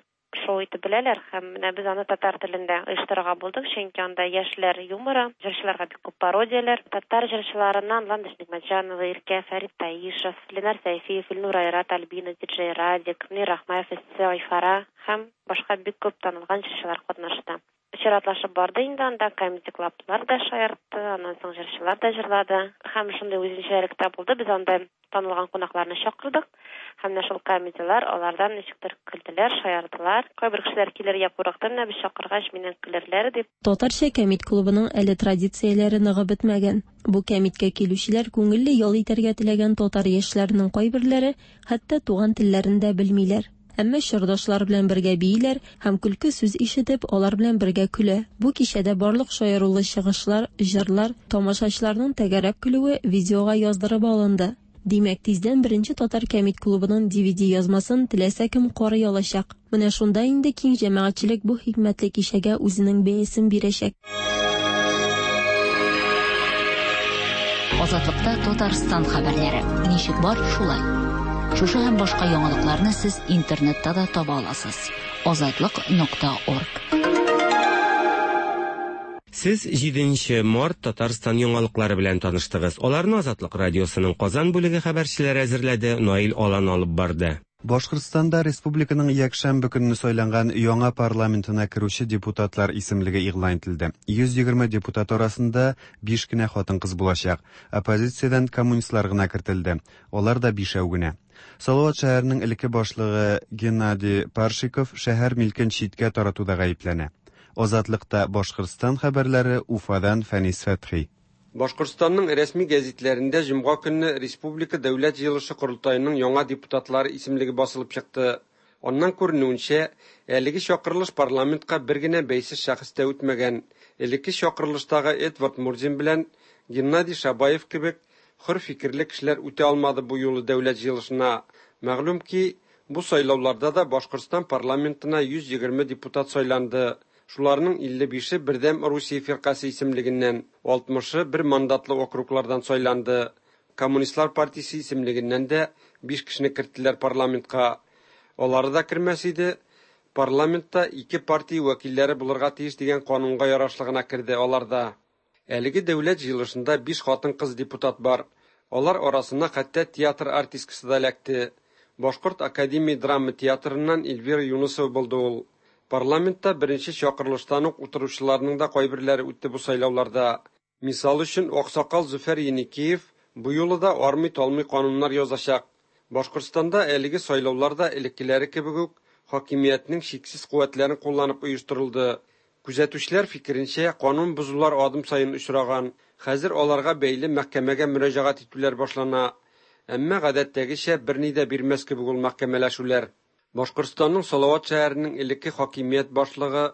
шоу итеп беләләр һәм менә без аны татар телендә оештырырга булдык, чөнки анда яшьләр юморы, җырчыларга бик күп пародияләр, татар җырчыларыннан Ландыш Нигъмәтҗанова, Иркә, Фәрит Таишев, Ленар Сәйфиев, Илнур Айрат, Альбина, диджей Радик, Мөнир Рахмаев, Эссе, Айфара һәм башка бик күп танылган җырчылар катнашты. Чиратлашып барды инде анда, Comedy Club-лар да шаяртты, аннан соң җырчылар да җырлады. Һәм шундый үзенчәлек тә булды, без анда танылган кунакларны чакырдык. Һәм менә шул комедияләр, алардан ничектер көлделәр, шаярдылар. Кайбер кешеләр килергә курыкты, менә без чакыргач, миннән көлерләр дип. Татарча кәмит клубының әле традицияләре ныгып бетмәгән. Бу кәмиткә килүчеләр күңелле ял итәргә теләгән татар яшьләренең кайберләре хәтта туган телләрен дә белмиләр. Әмма чордашлар белән бергә бииләр һәм көлке сүз ишетеп, алар белән бергә көлә. Бу кичәдә барлык шаярулы чыгышлар, җырлар, тамашачыларның тәгәрәп көлүе видеога яздырып алынды. Димәк, тиздән беренче татар кәмит клубының DVD язмасын теләсә кем карый алачак. Менә шунда инде киң җәмәгатьчелек бу хикмәтле кичәгә үзенең бәясен бирәчәк. Азатлыкта Татарстан хәбәрләре. Ничек бар, шулай. Шушы һәм башка яңалыкларны сез интернетта да таба аласыз. Азатлык.орг. Сез 7 март Татарстан яңалыклары белән таныштыгыз. Аларны Азатлык радиосының Казан бүлеге хәбәрчеләре әзерләде, Наил Алан алып барды. Башкортстанда республиканың якшәмбе көнне сайланган яңа парламентына керүче депутатлар исемлеге игълан ителде. 120 депутат арасында 5 кенә хатын-кыз булачак. Оппозициядән коммунистлар гына кертелде. Алар да бишәү генә. Салават шәһәренең элекке башлыгы Геннадий Паршиков шәһәр милкен читкә таратуда гаепләнә. Азатлыкта Башкортстан хәбәрләре Уфадан Фәнис Фәтхи. Башкортстанның рәсми гәзитләрендә җомга көнне Республика Дәүләт җыелышы-Корылтаеның яңа депутатлары исемлеге басылып чыкты. Аннан күренүенчә, әлеге чакырылыш парламентка бер генә бәйсез шәхес тә үтмәгән. Элекке чакырылыштагы Эдвард Мурзин белән Геннадий Шабаев кебек хөр фикерле кешеләр үтә алмады бу юлы Дәүләт җыелышына. Мәгълүм ки, бу сайлауларда да Башкортстан парламентына 120 депутат сайланды. Шуларның 55-е Бердәм Русия фиркасе исемлегеннән, 60-ы бер мандатлы округлардан сайланды. Коммунистлар партиясе исемлегеннән дә 5 кешене керттеләр парламентка. Алары да кермәс иде, парламентта ике партия вәкилләре булырга тиеш дигән канунга ярашлы гына керде алар да. Әлеге Дәүләт җыелышында 5 хатын-кыз депутат бар. Алар арасына хәтта театр артисткасы да эләкте. Башкорт академия драма театрыннан Эльвира Юнысова булды ул. Парламентта беренче чакырылыштан ук утыручыларның да кайберләре үтте бу сайлауларда. Мисал өчен, аксакал Зөфәр Еникеев бу юлы да армый-талмый кануннар язачак. Башкортстанда әлеге сайлаулар да элеккеләре кебек үк хакимиятнең чиксез куәтләрен кулланып оештырылды. Күзәтүчеләр фикеренчә, канун бозулар адым саен очраган. Хәзер аларга бәйле мәхкәмәгә мөрәҗәгать итүләр башлана. Әмма гадәттәгечә берни дә бирмәс кебек ул мәхкәмәләшүләр. Башкортстанның Салават шәһәренең элекке хакимият башлыгы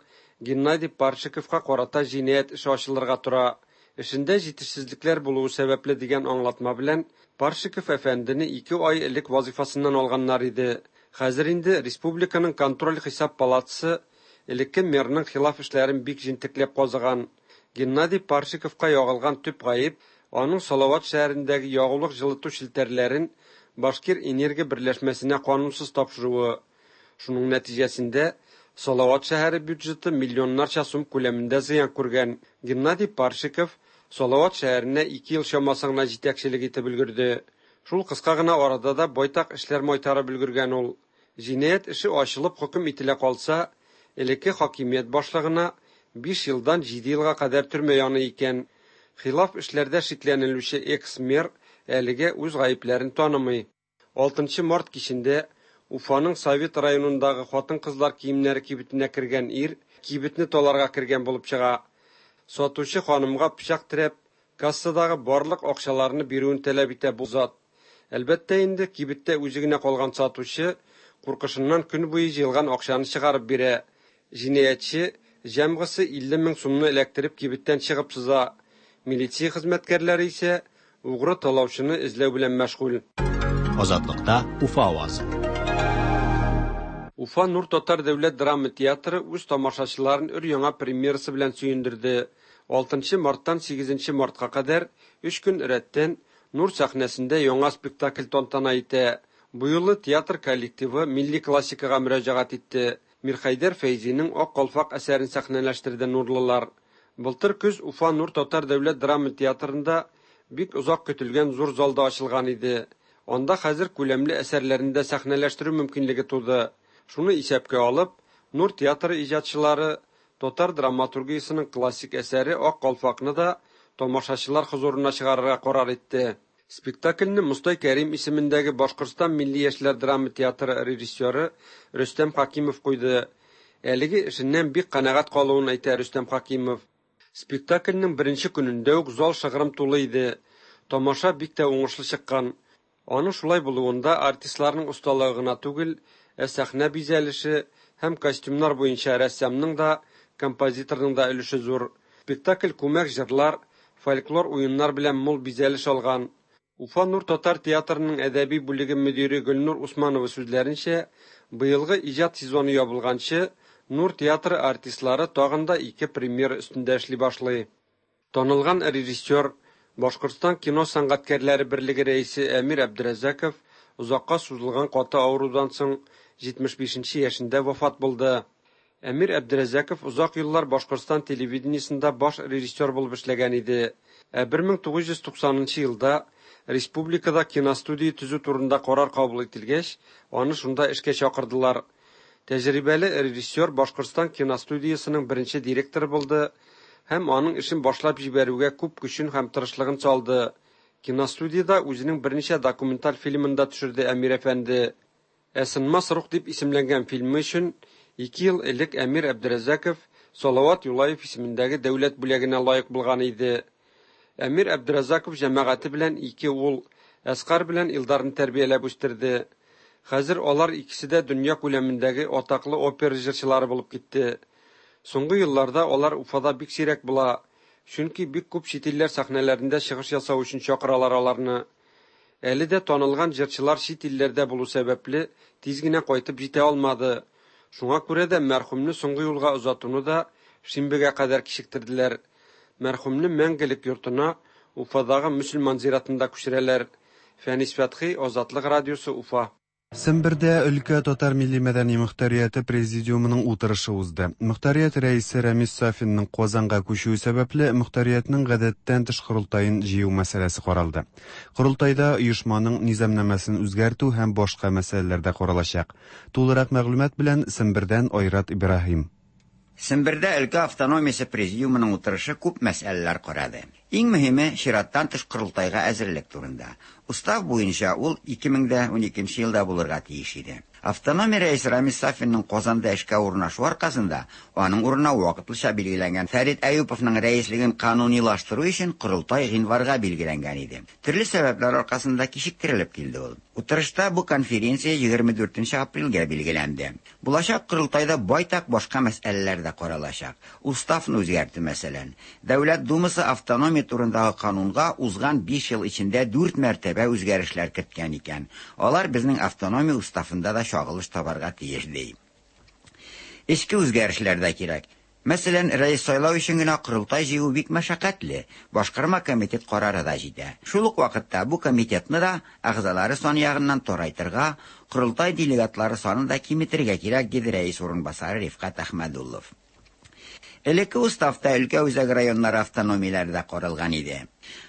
Геннадий Паршиковка карата җинаять эше ачылырга тора. Эшендә җитешсезлекләр булуы сәбәпле дигән аңлатма белән Паршиков әфәндене 2 ай элек вазифасыннан алганнар иде. Хәзер инде республиканың контроль-хисап палатасы элекке мэрның хилаф эшләрен бик җентекләп казыган. Геннадий Паршиковка ягылган төп гаеп аның Салават шәһәрендәге ягулык җылыту челтәрләрен Башкир энергия берләшмәсенә канунсыз тапшыруы. Шуның нәтиҗәсендә Салават шәһәре бюджеты миллионнарча сум күләмендә зыян күргән. Геннадий Паршиков Салават шәһәренә 2 ел чамасы гына җитәкчелек итеп өлгерде. Шул кыска гына арада да байтак эшләр майтарып өлгергән ул. Җинаять эше ачылып хөкем ителә калса, элекке хакимият башлыгына 5 елдан 7 елга кадәр төрмә яный икән. Хилаф эшләрдә шикләнелүче экс-мэр әлегә үз гаепләрен танымый. 6 март кичендә Уфаның Совет районындагы хатын-кызлар киемнәре кибетенә кергән ир кибетне таларга кергән булып чыга. Сатучы ханымга пычак терәп, кассадагы барлык акчаларны бирүен таләп итә бу зат. Әлбәттә инде, кибеттә үзе генә калган сатучы куркышыннан көн буе җыелган акчаны чыгарып бирә. Җинаятьче җәмгысе 50 мең сумны эләктереп кибеттән чыгып сыза. Милиция хезмәткәрләре исә угры талаучыны эзләү белән мәшгуль. Азатлыкта Уфа авазы. Уфа Нур татар дәүләт драма театры үз тамашачыларын өр-яңа премьерасы белән сөендерде. 6 марттан 8 мартка кадәр 3 көн рәттән Нур сәхнәсендә яңа спектакль тантана итә. Бу юлы театр коллективы милли классикага мөрәҗәгать итте. Мирхәйдәр Фәйзинең Ак калфак әсәрен сәхнәләштерде нурлылар. Былтыр көз Уфа Нур татар дәүләт драма театрында бик озак көтелгән зур залда ачылган иде. Анда хәзер күләмле әсәрләрне дә сәхнәләштерү мөмкинлеге туды. Шуны исәпкә алып, Нур театры иҗатчылары татар драматургиясенең классик әсәре Ак калфакны да тамашачылар хозурына чыгарырга карар итте. Спектакльне Мостай Кәрим исемендәге Башкортстан милли яшьләр драма театры режиссеры Рөстәм Хакимов куйды. Әлеге эшеннән бик канәгать калуын әйтә Рөстәм Хакимов. Спектакльнең беренче көнендә үк зал шыгрым тулы иде. Тамаша бик тә уңышлы чыккан. Аның шулай булуында артистларның осталыгы гына түгел, Ә сәхнә бизәлеше һәм костюмнар буенча рәссамның да, композиторның да өлеше зур. Спектакль күмәк җырлар, фольклор уеннар белән мул бизәлеш алган. Уфа Нур татар театрының әдәби бүлеге мөдире Гөлнур Усманова сүзләренчә, быелгы иҗат сезоны ябылганчы, Нур театры артистлары тагын да ике премьера өстендә эшли башлый. Танылган режиссер, Башкортстан кино сәнгатькәрләре берлеге рәисе Әмир Әбдерәзаков озакка сузылган каты авырудан соң 75 нче яшендә вафат булды. Әмир Әбдерәзаков озак еллар Башкортстан телевидениесендә баш режиссер булып эшләгән иде. Ә 1990 нчы елда республикада киностудия төзү турында карар кабул ителгәч, аны шунда эшкә чакырдылар. Тәҗрибәле режиссер Башкортстан киностудиясенең беренче директоры булды һәм аның эшен башлап җибәрүгә күп көчен һәм тырышлыгын салды. Киностудиядә үзенең берничә документаль фильмын да төшерде Әмир әфәнде. Ә Сынмас рух дип исемләнгән фильмы өчен ике ел элек Әмир Әбдерәзаков Салават Юлаев исемендәге дәүләт бүләгенә лаек булган иде. Әмир Әбдеразаков җәмәгате белән ике ул, Әскар белән Илдарны тәрбияләп үстерде. Хәзер алар икесе дә дөнья күләмендәге атаклы опера җырчылары булып китте. Соңгы елларда алар Уфада бик сирәк була, чөнки бик күп чит илләр сәхнәләрендә чыгыш ясау өчен чакыралар аларны. Әле дә танылган җырчылар чит илләрдә булу сәбәпле, тиз генә кайтып җитә алмады. Шуңа күрә дә мәрхүмне соңгы юлга озатуны да шимбәгә кадәр кичектерделәр. Мәрхүмне мәңгелек йортына Уфадагы мөселман зиратында күчерәләр. Фәнис Фәтхи, Азатлык радиосы, Уфа. Сембердә өлкә татар милли-мәдәни мохтарияте президиумының утырышы узды. Мохтарият рәисе Рәмис Сафинның Казанга күчүе сәбәпле, мохтариятнең гадәттән тыш корылтаен җыю мәсьәләсе каралды. Корылтайда оешманың низамнамәсен үзгәртү һәм башка мәсьәләләр дә каралачак. Тулырак мәгълүмат белән Сембердән Айрат Ибраһим. Сембердә өлкә автономиясе президиумының утырышы күп мәсьәләләр карады. Иң мөһиме, чираттан тыш корылтайга әзерлек турында. Устав буенча ул 2012 елда булырга тиеш иде. Автономия рәисе Рамис Сафинның Казанда эшкә урнашу аркасында аның урынына вакытлыча билгеләнгән Фәрит Әюповның рәислеген канунилаштыру өчен корылтай гыйнварга билгеләнгән иде. Төрле сәбәпләр аркасында кичектерелеп килде ул. Утырышта бу конференция 24 апрельгә билгеләнде. Булачак корылтайда байтак башка мәсьәләләр дә каралачак. Уставны үзгәртү, мәсәлән. Дәүләт Думасы автономия турындагы канунга узган 5 ел эчендә 4 мәртәбә үзгәрешләр керткән икән. Алар безнең автономия уставында да чагылыш табарга тиеш, ди. Эчке үзгәрешләр дә кирәк. Мәсәлән, рәис сайлау өчен генә корылтай җыю бик мәшәкатьле, башкарма комитет карары да җитә. Шул ук вакытта бу комитетны да әгъзалары саны ягыннан тарайтырга, корылтай делегатлары санын да киметергә кирәк, диде рәис урынбасары Рифкать Әхмәдуллов. Элекке уставта өлкә үзәк районнары автономияләре дә каралган иде.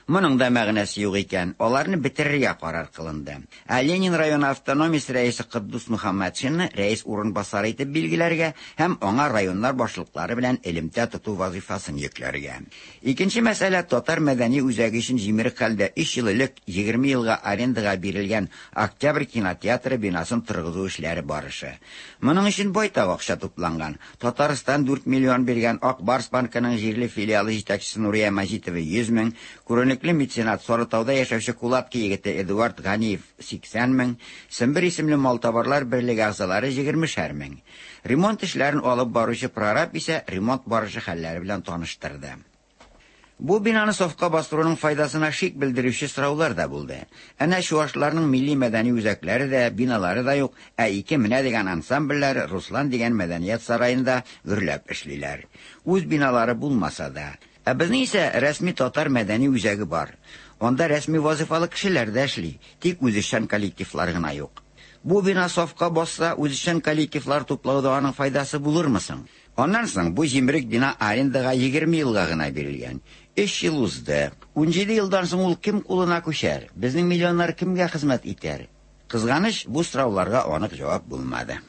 Моның да мәгънәсе юк икән, аларны бетерергә карар кылынды. Ә Ленин районы автономиясе рәисе Котдус Мөхәммәтшинны рәис урынбасары итеп билгеләргә һәм аңа районнар башлыклары белән элемтә тоту вазыйфасын йөкләргә. Икенче мәсьәлә татар мәдәни үзәге өчен җимерек хәлдә 3 ел элек 20 елга арендага бирелгән Октябрь кинотеатры бинасын торгызу эшләре барышы. Моның өчен байтак акча тупланган. Татарстан 4 миллион биргән, Ак Барс банкының җирле филиалы җитәкчесе Нурия Мәҗитова 100 мең, күренекле меценат Сарытауда яшәүче Кулатка егете Эдуард Ганиев 80 мең, Сембер исемле малтабарлар берлеге әгъзалары 20 мең. Ремонт эшләрен алып баручы прораб исә ремонт барышы хәлләре белән таныштырды. Бу бинаны сафка бастыруның файдасына шик белдерүче сораулар да булды. Әнә чуашларның милли мәдәни үзәкләре дә, биналары да юк, ә ике менә дигән ансамбльләр Руслан дигән мәдәният сараенда гөрләп эшлиләр. Үз биналары булмаса да. Ә безнең исә рәсми татар мәдәни үзәге бар. Анда рәсми вазифалы кешеләр дә эшли, тик үзешчән коллективлар гына юк. Бу бина сафка басса, үзешчән коллективлар туплауда аның файдасы булырмы соң? Аннан соң бу җимерек бина арендага 20 елга гына бирелгән. 3 ел узды. 17 елдан соң ул кем кулына күчәр? Безнең миллионнар кемгә хезмәт итәр? Кызганыч, бу сорауларга анык җавап булмады.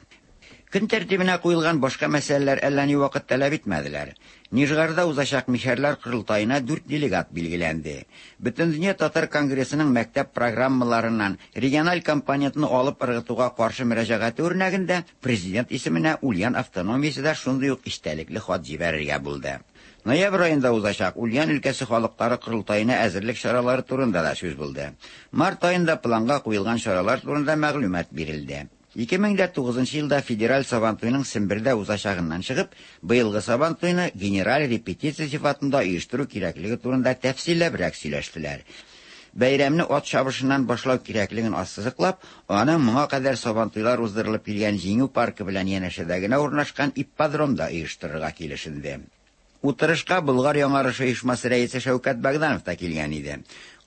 Көн тәртибенә куелган башка мәсьәләләр әллә ни вакыт таләп итмәделәр. Нижгарда узачак мишәрләр корылтаена 4 делегат билгеләнде. Бөтендөнья татар конгрессының мәктәп программаларыннан региональ компонентны алып ыргытуга каршы мөрәҗәгате үрнәгендә президент исеменә Ульян автономиясе дә шундый ук истәлекле хат җибәрергә булды. Ноябрь аенда узачак Ульян өлкәсе халыклары корылтаена әзерлек чаралары турында да сүз булды. Март аенда планга куелган чаралар турында мәгълүмат бирелде. 2009 елда федераль Сабантуйның Сембердә узачагыннан чыгып, быелгы Сабантуйны генераль репетиция сыйфатында оештыру кирәклеге турында тәфсилләбрәк сөйләштеләр. Бәйрәмне ат чабышыннан башлау кирәклеген ассызыклап, аны моңа кадәр Сабантуйлар уздырылып килгән Җиңү паркы белән янәшәдә генә урнашкан ипподромда оештырырга килешенде. Утырышка Болгар яңарышы оешмасы рәисе Шәүкәт Богданов та килгән иде.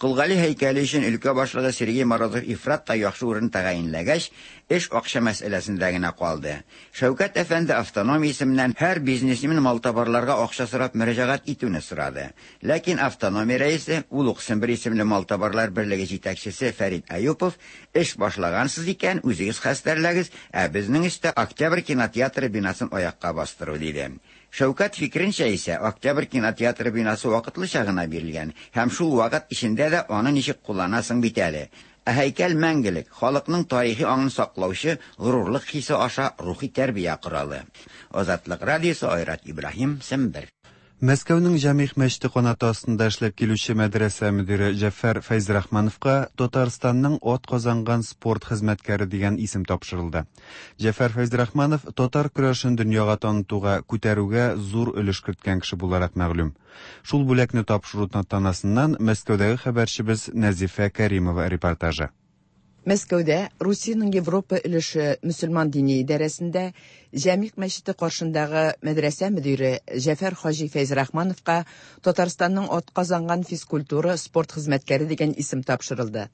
Кол Гали һәйкәле өчен өлкә башлыгы Сергей Морозов ифрат та яхшы урын тәгаенләгәч, эш акча мәсьәләсендә генә калды. Шәүкәт әфәнде автономия исеменнән һәр бизнесмен малтабарларга акча сорап мөрәҗәгать итүне сорады. Ләкин автономия рәисе, ул ук Сембер исемле малтабарлар берлеге җитәкчесе Фәрит Әюпов, эш башлагансыз икән, үзегез хәстәрләгез, ә безнең өстә Октябрь кинотеатры бинасын аякка бастыру, диде. Шәүкәт фикеренчә исә, Октябрь кинотеатры бинасы вакытлыча гына бирелгән һәм шул вакыт эчендә дә аны ничек кулланасың бит әле. Ә һәйкәл мәңгелек, халыкның тарихи аңын саклаучы горурлык хисе аша рухи тәрбия коралы. Азатлык радиосы Айрат Ибраһим, Сембер. Мәскәүнең Җәмигъ мәчете канаты астында эшләп килүче мәдрәсә мөдире Җәфәр Фәйзрахмановка Татарстанның атказанган спорт хезмәткәре дигән исем тапшырылды. Җәфәр Фәйзрахманов татар көрәшен дөньяга танытуга, күтәрүгә зур өлеш керткән кеше буларак мәгълүм. Шул бүләкне тапшыру тантанасыннан Мәскәүдәге хәбәрчебез Нәзифә Кәримова репортажы. Мәскәүдә Русиянең Европа өлеше мөселман дини идарәсендә Җәмигъ мәчете каршындагы мәдрәсә мөдире Җәфәр хаҗи Фәйзрахмановка Татарстанның атказанган физкультура, спорт хезмәткәре дигән исем тапшырылды.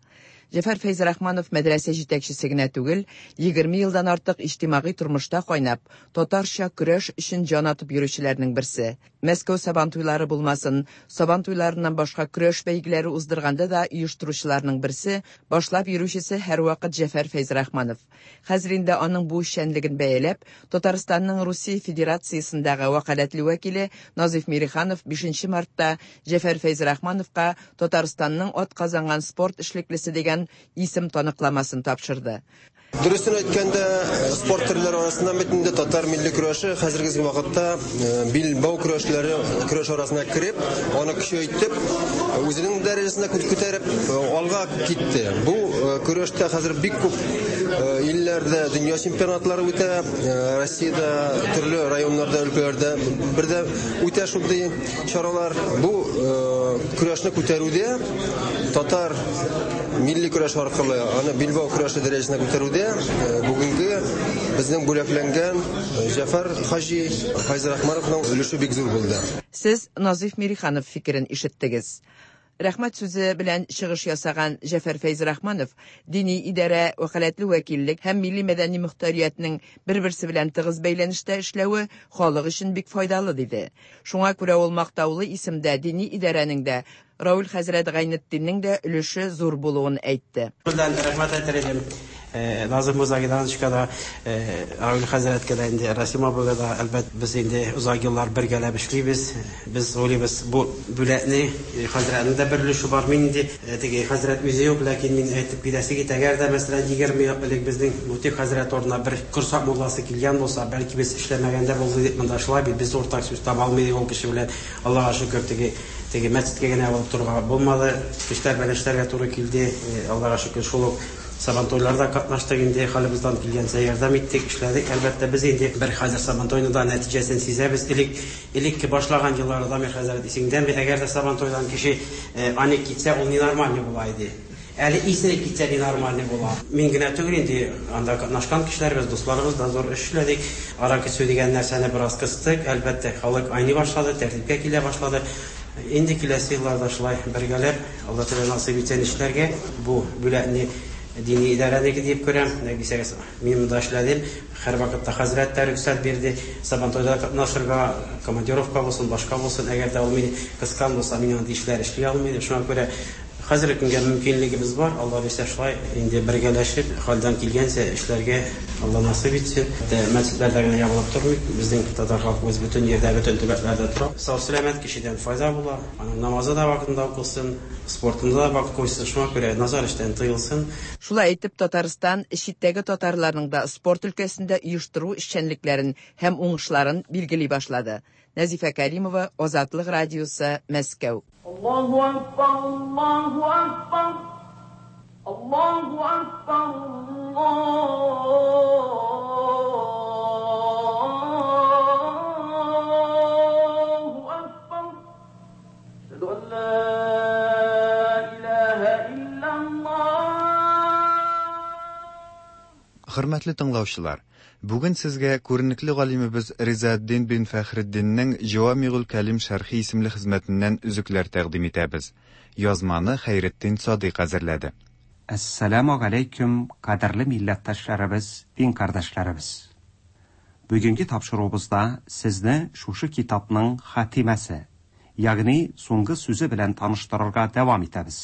Җәфәр Фәйзрахманов мәдрәсә җитәкчесе генә түгел, 20 елдан артык иҗтимагый тормышта кайнап, татарча көрәш өчен җан атып йөрүчеләрнең берсе. Мәскәү Сабантуйлары булмасын, Сабантуйларыннан башка көрәш бәйгеләре уздырганда да оештыручыларның берсе, башлап йөрүчесе һәрвакыт Җәфәр Фәйзрахманов. Хәзер инде аның бу эшчәнлеген бәяләп, Татарстанның Русия Федерациясендәге вәкаләтле вәкиле Назыйф Мириханов 5 мартта Җәфәр Фәйзрахмановка Татарстанның атказанган спорт эшлеклесе дигән исем таныкламасын тапшырды. Дөресен әйткәндә, спорт төрләре арасыннан бит инде татар милли көрәше хәзерге вакытта билбау көрәшләре көрәш арасына кереп, аны көчәйтеп, үзенең дәрәҗәсенә күтәреп алга китте. Бу көрәштә хәзер бик күп илләрдә дөнья чемпионатлары үтә, Россиядә төрле районнарда, өлкәләрдә бердә үтә шундый чаралар. Бу көрәшне күтәрүдә татар милли көрәш аркылы аны билбау көрәше дәрәҗәсенә күтәрүдә бүгенге безнең бүләкләнгән Җәфәр хаҗи Фәйзрахмановның өлеше бик зур булды. Сез Назыйф Мириханов фикерен ишеттегез. Рәхмәт сүзе белән чыгыш ясаган Җәфәр Фәйзрахманов дини идарә, вәкаләтле вәкиллек һәм милли мәдәни мөхтәриятнең бер-берсе белән тыгыз бәйләнештә эшләве халык өчен бик файдалы диде. Шуңа күрә ул мактаулы исемдә дини идарәнең дә, Равил хәзрәт Гайнетдиннең дә өлеше зур булуын әйтте. Белән рәхмәт әйтер идем. Назым морза Гидановичка да, Равил хәзрәткә дә инде, Расим абыйга да, әлбәт, без инде озак еллар бергәләп эшлибез. Без уйлыйбыз, бу бүләкне хәзрәтнең дә бер өлеше бар. Мин инде теге хәзрәт үзе юк, ләкин мин әйтеп китәсе китә, әгәр дә, мәсәлән, 20 ел элек безнең Мутик хәзрәт орнына бер Корсак мулласы килгән булса, бәлки без эшләмәгән дә булды дип монда шулай бит, без уртак сүз таба алмый идек ул кеше белән. Аллага шөкер, теге Теге мәчеткә генә барып торырга булмады. Кешеләр белән эшләргә туры килде. Аллага шөкер, шул ук Сабантуйларда катнаштык инде, хәлебездән килгәнчә ярдәм иттек, эшләдек. Әлбәттә, без инде бер хәзер Сабантуйны да нәтиҗәсен сизәбез. Элек, элекке башлаган елларда, Дамир хәзрәт, исеңдәме, әгәр дә Сабантуйдан кеше аник китсә, ул ненормальный була иде. Әле исерек китсә ненормальный була. Мин генә түгел инде, анда катнашкан кешеләребез, дусларыбыз да зур эш эшләдек. Аракы эчү дигән нәрсәне бераз кыстык. Әлбәттә, халык айный башлады, тәртипкә килә башлады. Инде киләсе елларда шулай бергәләп, Алла Тәгалә насыйп итсен эшләргә. Бу бүләкне дини идарәнеке диеп күрәм. Ник дисәгез, мин монда эшләдем. Һәрвакытта хәзрәт тә рөхсәт бирде. Сабантуйда катнашырга, командировка булсын, башка булсын. Әгәр дә ул мине кыскан булса, мин андый эшләр эшли алмыйм. Шуңа күрә Хәзерге көнгә мөмкинлегебез бар, Алла бирсә, шулай инде бергәләшеп, хәлдән килгәнчә эшләргә Алла насыйп итсен. Мәчетләрдә генә ябылып тормыйк, безнең татар халкыбыз бөтен җирдә, бөтен төбәкләрдә тора. Сау-сәламәт кешедән файда була, аның намазы да вакытында укылсын, спортында да вакыт куйсын, шуңа күрә начар эштән тыелсын. Шулай итеп, Татарстан читтәге татарларның да спорт өлкәсендә оештыру эшчәнлекләрен һәм уңышларын билгели башлады. Нәзифә Кәримова, Азатлык радиосы, Мәскәү. Аллаһу акбар, Аллаһу акбар, Аллаһу акбар, الله أكبر أشهد أن لا إله إلا الله Хөрмәтле тыңлаучылар, бүген сезгә күренекле галимебез Ризаэддин бин Фәхретдиннең Җавамигуль Кәлим шәрхи исемле хезмәтеннән өзекләр тәкъдим итәбез. Язманы Хәйретдин Садыйк әзерләде. Әссәламү галәйкүм, кадерле милләттәшләребез, дин кардәшләребез! Бүгенге тапшыруыбызда сезне шушы китапның хатимәсе, ягъни соңгы сүзе белән таныштырырга дәвам итәбез.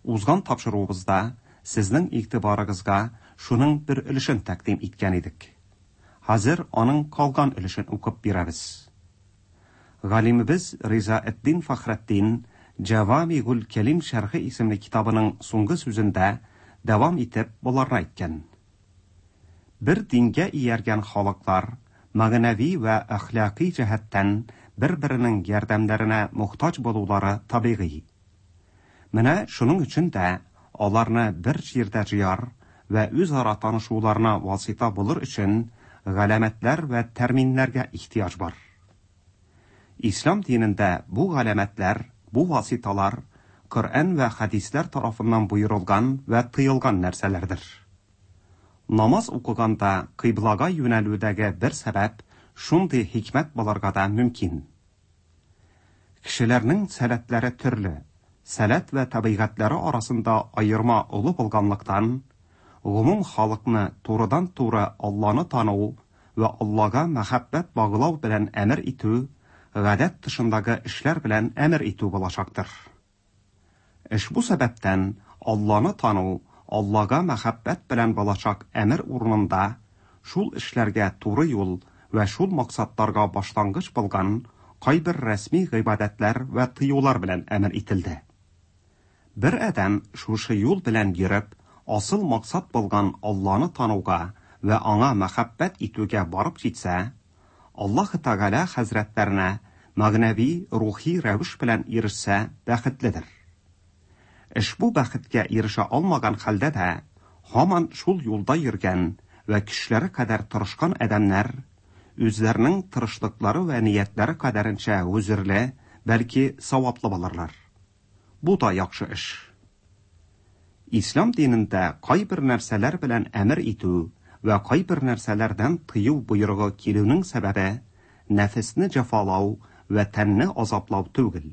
Узган тапшыруыбызда сезнең игътибарыгызга шуның бер өлешен тәкъдим иткән идек. Хәзер аның калган өлешен укып бирәбез. Галимебез Ризаэддин Фәхретдин Җәвамигуль Кәлим шәрхе исемле китабының соңгы сүзендә дәвам итеп боларны әйткән. Бер дингә ияргән халыклар мәгънәви вә әхлакый җәһәттән бер-беренең ярдәмнәренә мохтаҗ булулары табигый. Менә шуның өчен дә аларны бер җирдә җыяр вә үзара танышуларына васыйта булыр өчен галәмәтләр вә тәрминнәргә ихтыяҗ бар. Ислам динендә бу галәмәтләр, бу васиталар Коръән вә хәдисләр тарафыннан боерылган вә тыелган нәрсәләрдер. Намаз укыганда кыйблага юнәлүдәге бер сәбәп шундый хикмәт булырга да мөмкин. Кешеләрнең сәләтләре төрле, сәләт вә табигатьләре арасында аерма олы булганлыктан, гомум халыкны турыдан-туры Алланы тану вә Аллага мәхәббәт баглау белән әмер итү гадәт тышындагы эшләр белән әмер итү булачактыр. Ошбу сәбәптән Алланы тану Аллага мәхәббәт белән булачак әмер урынында шул эшләргә туры юл вә шул максатларга башлангыч булган кайбер рәсми гыйбадәтләр вә тыюлар белән әмер ителде. Бер адәм шушы юл белән йөреп, асыл максат булган Алланы тануга вә аңа мәхәббәт итүгә барып җитсә, Аллаһы Тәгалә хәзрәтләренә мәгънәви, рухи рәвеш белән ирешсә, бәхетледер. Ошбу бәхеткә ирешә алмаган хәлдә дә, һаман шул юлда йөргән вә көчләре кадәр тырышкан адәмнәр, үзләренең тырышлыклары вә ниятләре кадәренчә гозерле, бәлки саваплы булырлар. Бу да яхшы эш. Ислам динендә кайбер нәрсәләр белән әмер итү вә кайбер нәрсәләрдән тыю боерыгы килүнең сәбәбе нәфесне җәфалау вә тәнне азаплау түгел,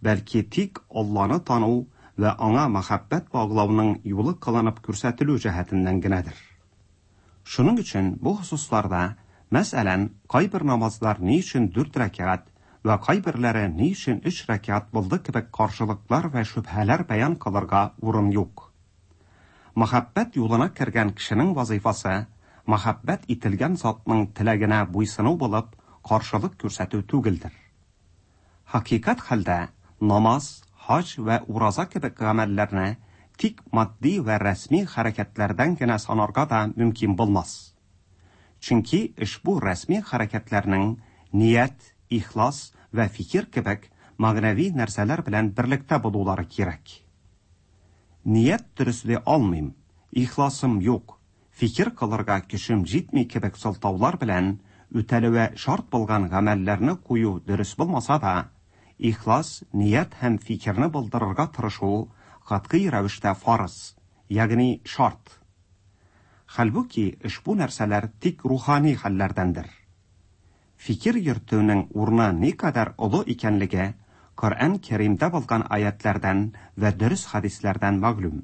бәлки тик Алланы тану вә Аңа мәхәббәт баглауның юлы кылынып күрсәтелү җәһәтеннән генәдер. Шуның өчен бу хосусларда, мәсәлән, кайбер намазлар ни өчен дүрт рәкәгать вә кайберләре ни өчен өч рәкәгать булды кебек каршылыклар вә шөбһәләр бәян кылырга урын юк. Мәхәббәт юлына кергән кешенең вазыйфасы, мәхәббәт ителгән затның теләгенә буйсыну булып, каршылык күрсәтү түгелдер. Хакыйкать хәлдә, намаз, хаҗ вә ураза кебек гамәлләрне тик матди вә рәсми хәрәкәтләрдән генә санарга да мөмкин булмас. Чөнки ошбу рәсми хәрәкәтләрнең ният, ихлас вә фикер кебек мәгънәви нәрсәләр белән берлектә булулары кирәк. Ният дөресли алмыйм, ихласым юк, фикер кылырга көчем җитми кебек сылтаулар белән үтәлүе шарт булган гамәлләрне кую дөрес булмаса да, ихлас, ният һәм фикерне булдырырга тырышу катгый рәвештә фарыз, ягъни шарт. Хәлбуки, ошбу нәрсәләр тик рухани хәлләрдәндер. Фикер йөртүнең урыны никадәр олы икәнлеге Коръән Кәримдә булган аятьләрдән вә дөрес хәдисләрдән мәгълүм.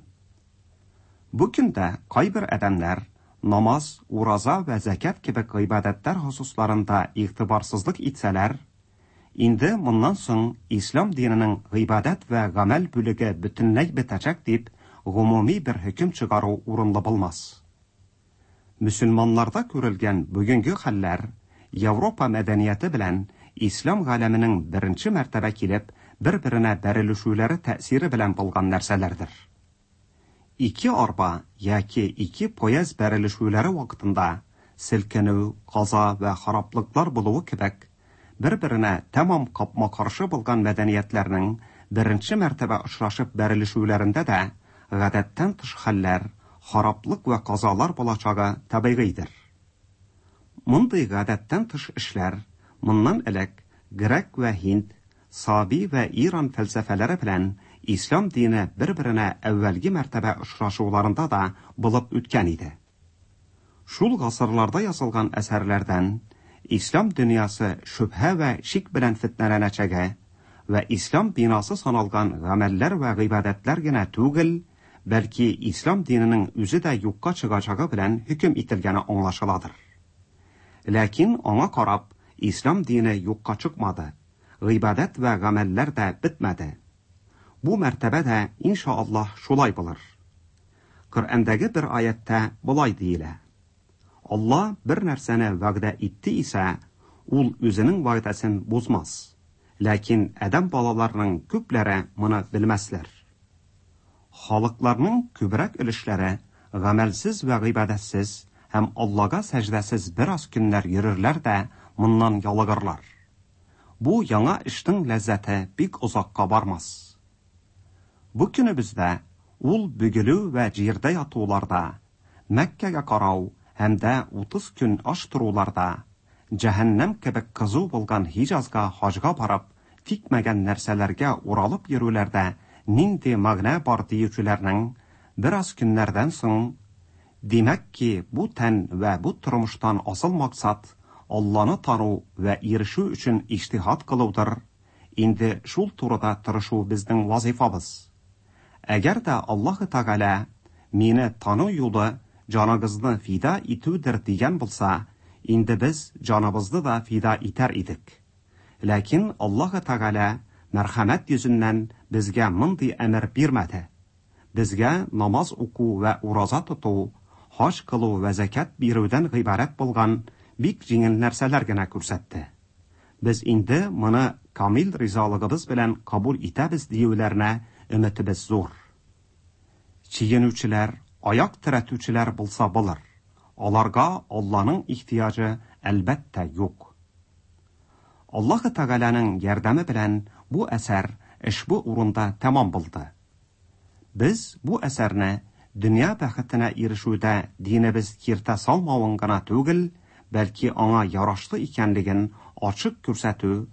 Бу көндә кайбер адәмнәр намаз, ураза вә зәкят кебек гыйбадәтләр хосусларында игътибарсызлык итсәләр, инде моннан соң ислам диненең гыйбадәт вә гамәл бүлеге бөтенләй бетәчәк дип гомуми бер хөкем чыгару урынлы булмас. Мөселманнарда күрелгән бүгенге хәлләр Европа мәдәнияте белән ислам галәменең беренче мәртәбә килеп бер-беренә бәрелешүләре тәэсире белән булган нәрсәләрдер. Ике арба яки ике поезд бәрелешүләре вакытында селкенү, каза вә хараплыклар булуы кебек, бер-беренә тәмам капма-каршы булган мәдәниятләрнең беренче мәртәбә очрашып бәрелешүләрендә дә гадәттән тыш хәлләр, хараплык вә казалар булачагы табигыйдер. Мондый гадәттән тыш эшләр моннан элек грек вә һинд, саби вә иран фәлсәфәләре белән ислам дине бер-беренә әүвәлге мәртәбә очрашуларында да булып үткән иде. Шул гасырларда язылган әсәрләрдән ислам дөньясы шөбһә вә шик белән фетнәләнәчәге вә ислам бинасы саналган гамәлләр вә гыйбадәтләр генә түгел, бәлки ислам диненең үзе дә юкка чыгачагы белән хөкем ителгәне аңлашыладыр. Ләкин аңа карап, ислам дине юкка чыкмады, гыйбадәт вә гамәлләр дә бетмәде. Бу мәртәбә дә иншааллаһ шулай булыр. Коръәндәге бер аятта болай диелә: Алла бер нәрсәне вәгъдә итте исә, ул үзенең вәгъдәсен бозмас. Ләкин адәм балаларының күпләре моны белмәсләр. Халыкларның күбрәк өлешләре гамәлсез вә гыйбадәтсез һәм Аллага сәҗдәсез бераз көннәр йөрерләр дә моннан ялыгырлар. Бу яңа эшнең ләззәте бик озакка бармас. Бу көнебездә ул бөгелү вә җирдә ятуларда, Мәккәгә карау һәм дә 30 көн аш торуларда, җәһәннәм кебек кызу булган Һиҗазга хаҗга барып, тикмәгән нәрсәләргә уралып йөрүләрдә нинди мәгънә бар диючеләрнең бераз көннәрдән соң, димәк ки, бу тән вә бу тормыштан асыл максат Алланы тану вә ирешү өчен иҗтиһад кылудыр, инде шул турыда тырышу безнең вазифабыз. Әгәр дә Аллаһы Тәгалә мине тану юлы җаныгызны фида итүдер дигән булса, инде без җаныбызны да фида итәр идек. Ләкин Аллаһы Тәгалә мәрхәмәт йөзеннән безгә мондый әмер бирмәде. Безгә намаз уку вә ураза тоту, хаҗ кылу вә зәкят бирүдән гыйбарәт булган бик җиңел нәрсәләр генә күрсәтте. Без инде моны камил ризалыгыбыз белән кабул итәбез диюләренә өметебез зур. Чигенүчеләр, аяк терәтүчеләр булса булыр. Аларга Алланың ихтыяҗы әлбәттә юк. Аллаһы Тәгаләнең ярдәме белән бу әсәр ошбу урында тәмам булды. Без бу әсәрне дөнья бәхетенә ирешүдә динебез киртә салмавын гына түгел, бәлки аңа ярашлы икәнлеген ачык күрсәтү,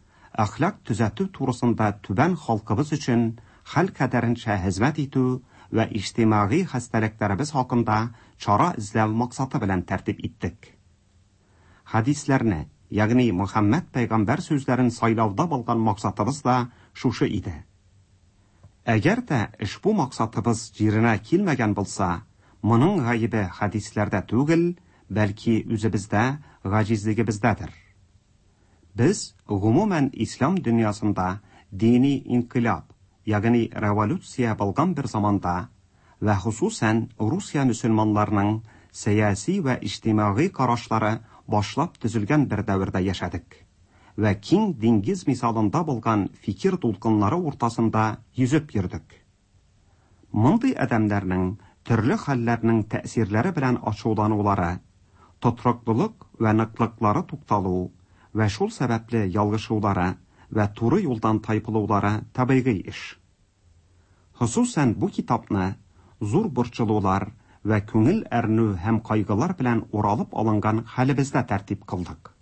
әхлак төзәтү турысында түбән халкыбыз өчен хәл кадәренчә хезмәт итү вә иҗтимагый хәстәлекләребез хакында чара эзләү максаты белән тәртип иттек. Хәдисләрне, ягъни Мөхәммәд пәйгамбәр сүзләрен сайлауда булган максатыбыз да шушы иде. Әгәр дә ошбу максатыбыз җиренә килмәгән булса, моның гаебе хәдисләрдә түгел, бәлки үзебездә, гаҗизлегебездәдер. Без гомумән ислам дөньясында дини инкыйлаб, ягъни революция булган бер заманда вә хосусән Русия мөселманнарының сәяси вә иҗтимагый карашлары башлап төзелгән бер дәвердә яшәдек вә киң диңгез мисалында булган фикер дулкыннары уртасында йөзеп йөрдек. Мондый адәмнәрнең төрле хәлләрнең тәэсирләре белән ачуланулары, тотрыклылык вә ныклыклары тукталу вә шул сәбәпле ялгышулары вә туры юлдан тайпылулары табигый эш. Хосусән бу китапны зур борчылулар вә күңел әрнү һәм кайгылар белән уралып алынган хәлебездә тәртип кылдык.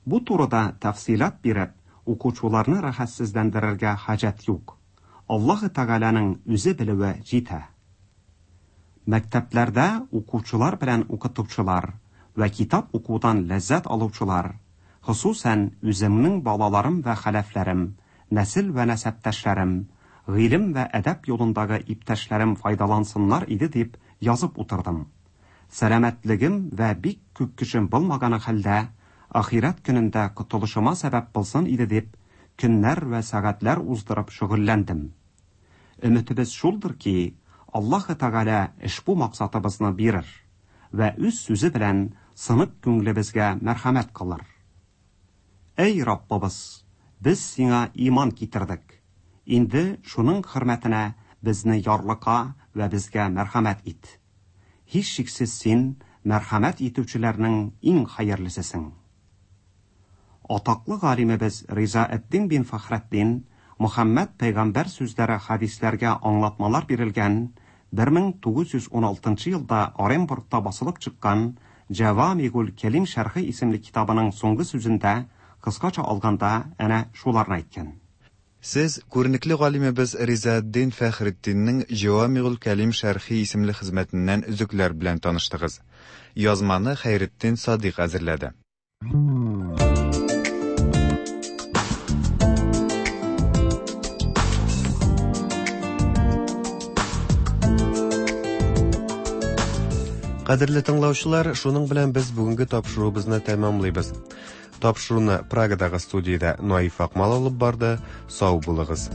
Бу турыда тәфсыйлат биреп, укучыларны рәхәтсезләндерергә хаҗәт юк. Аллаһы Тәгаләнең үзе белүе җитә. Мәктәпләрдә укучылар белән укытучылар вә китап укудан ләззәт алучылар, хосусән үземнең балаларым вә хәләфләрем, нәсел вә нәсәптәшләрем, гыйлем вә әдәп юлындагы иптәшләрем файдалансыннар иде дип язып утырдым. Сәламәтлегем вә бик күп көчем булмаганы хәлдә, ахирәт көнендә котылышыма сәбәп булсын иде дип, көннәр вә сәгатьләр уздырып шөгыльләндем. Өметебез шулдыр ки, Аллаһы Тәгалә ошбу максатыбызны бирер вә үз сүзе белән сынык күңелебезгә мәрхәмәт кылыр. Әй Раббыбыз, без сиңа иман китердек. Инде шуның хөрмәтенә безне ярлыка вә безгә мәрхәмәт ит. Һичшиксез син мәрхәмәт итүчеләрнең иң хәерлесесең. Атаклы галимебез Ризаэддин бин Фәхретдин Мөхәммәд пәйгамбәр сүзләре хәдисләргә аңлатмалар бирелгән 1916 елда Оренбургта басылып чыккан Җәвамигуль Кәлим шәрхе исемле китабының соңгы сүзендә, кыскача алганда, әнә шуларны әйткән. Сез күренекле галимебез Ризаэддин Фәхретдиннең Җәвамигуль Кәлим шәрхи исемле хезмәтеннән өзекләр белән таныштыгыз. Язманы Хәйретдин Садыйк әзерләде. Кадерле тыңлаучылар, шуның белән без бүгенге тапшыруыбызны тәмамлыйбыз. Тапшыруны Прагадагы студиядә Наиф Акмал алып барды. Сау булыгыз.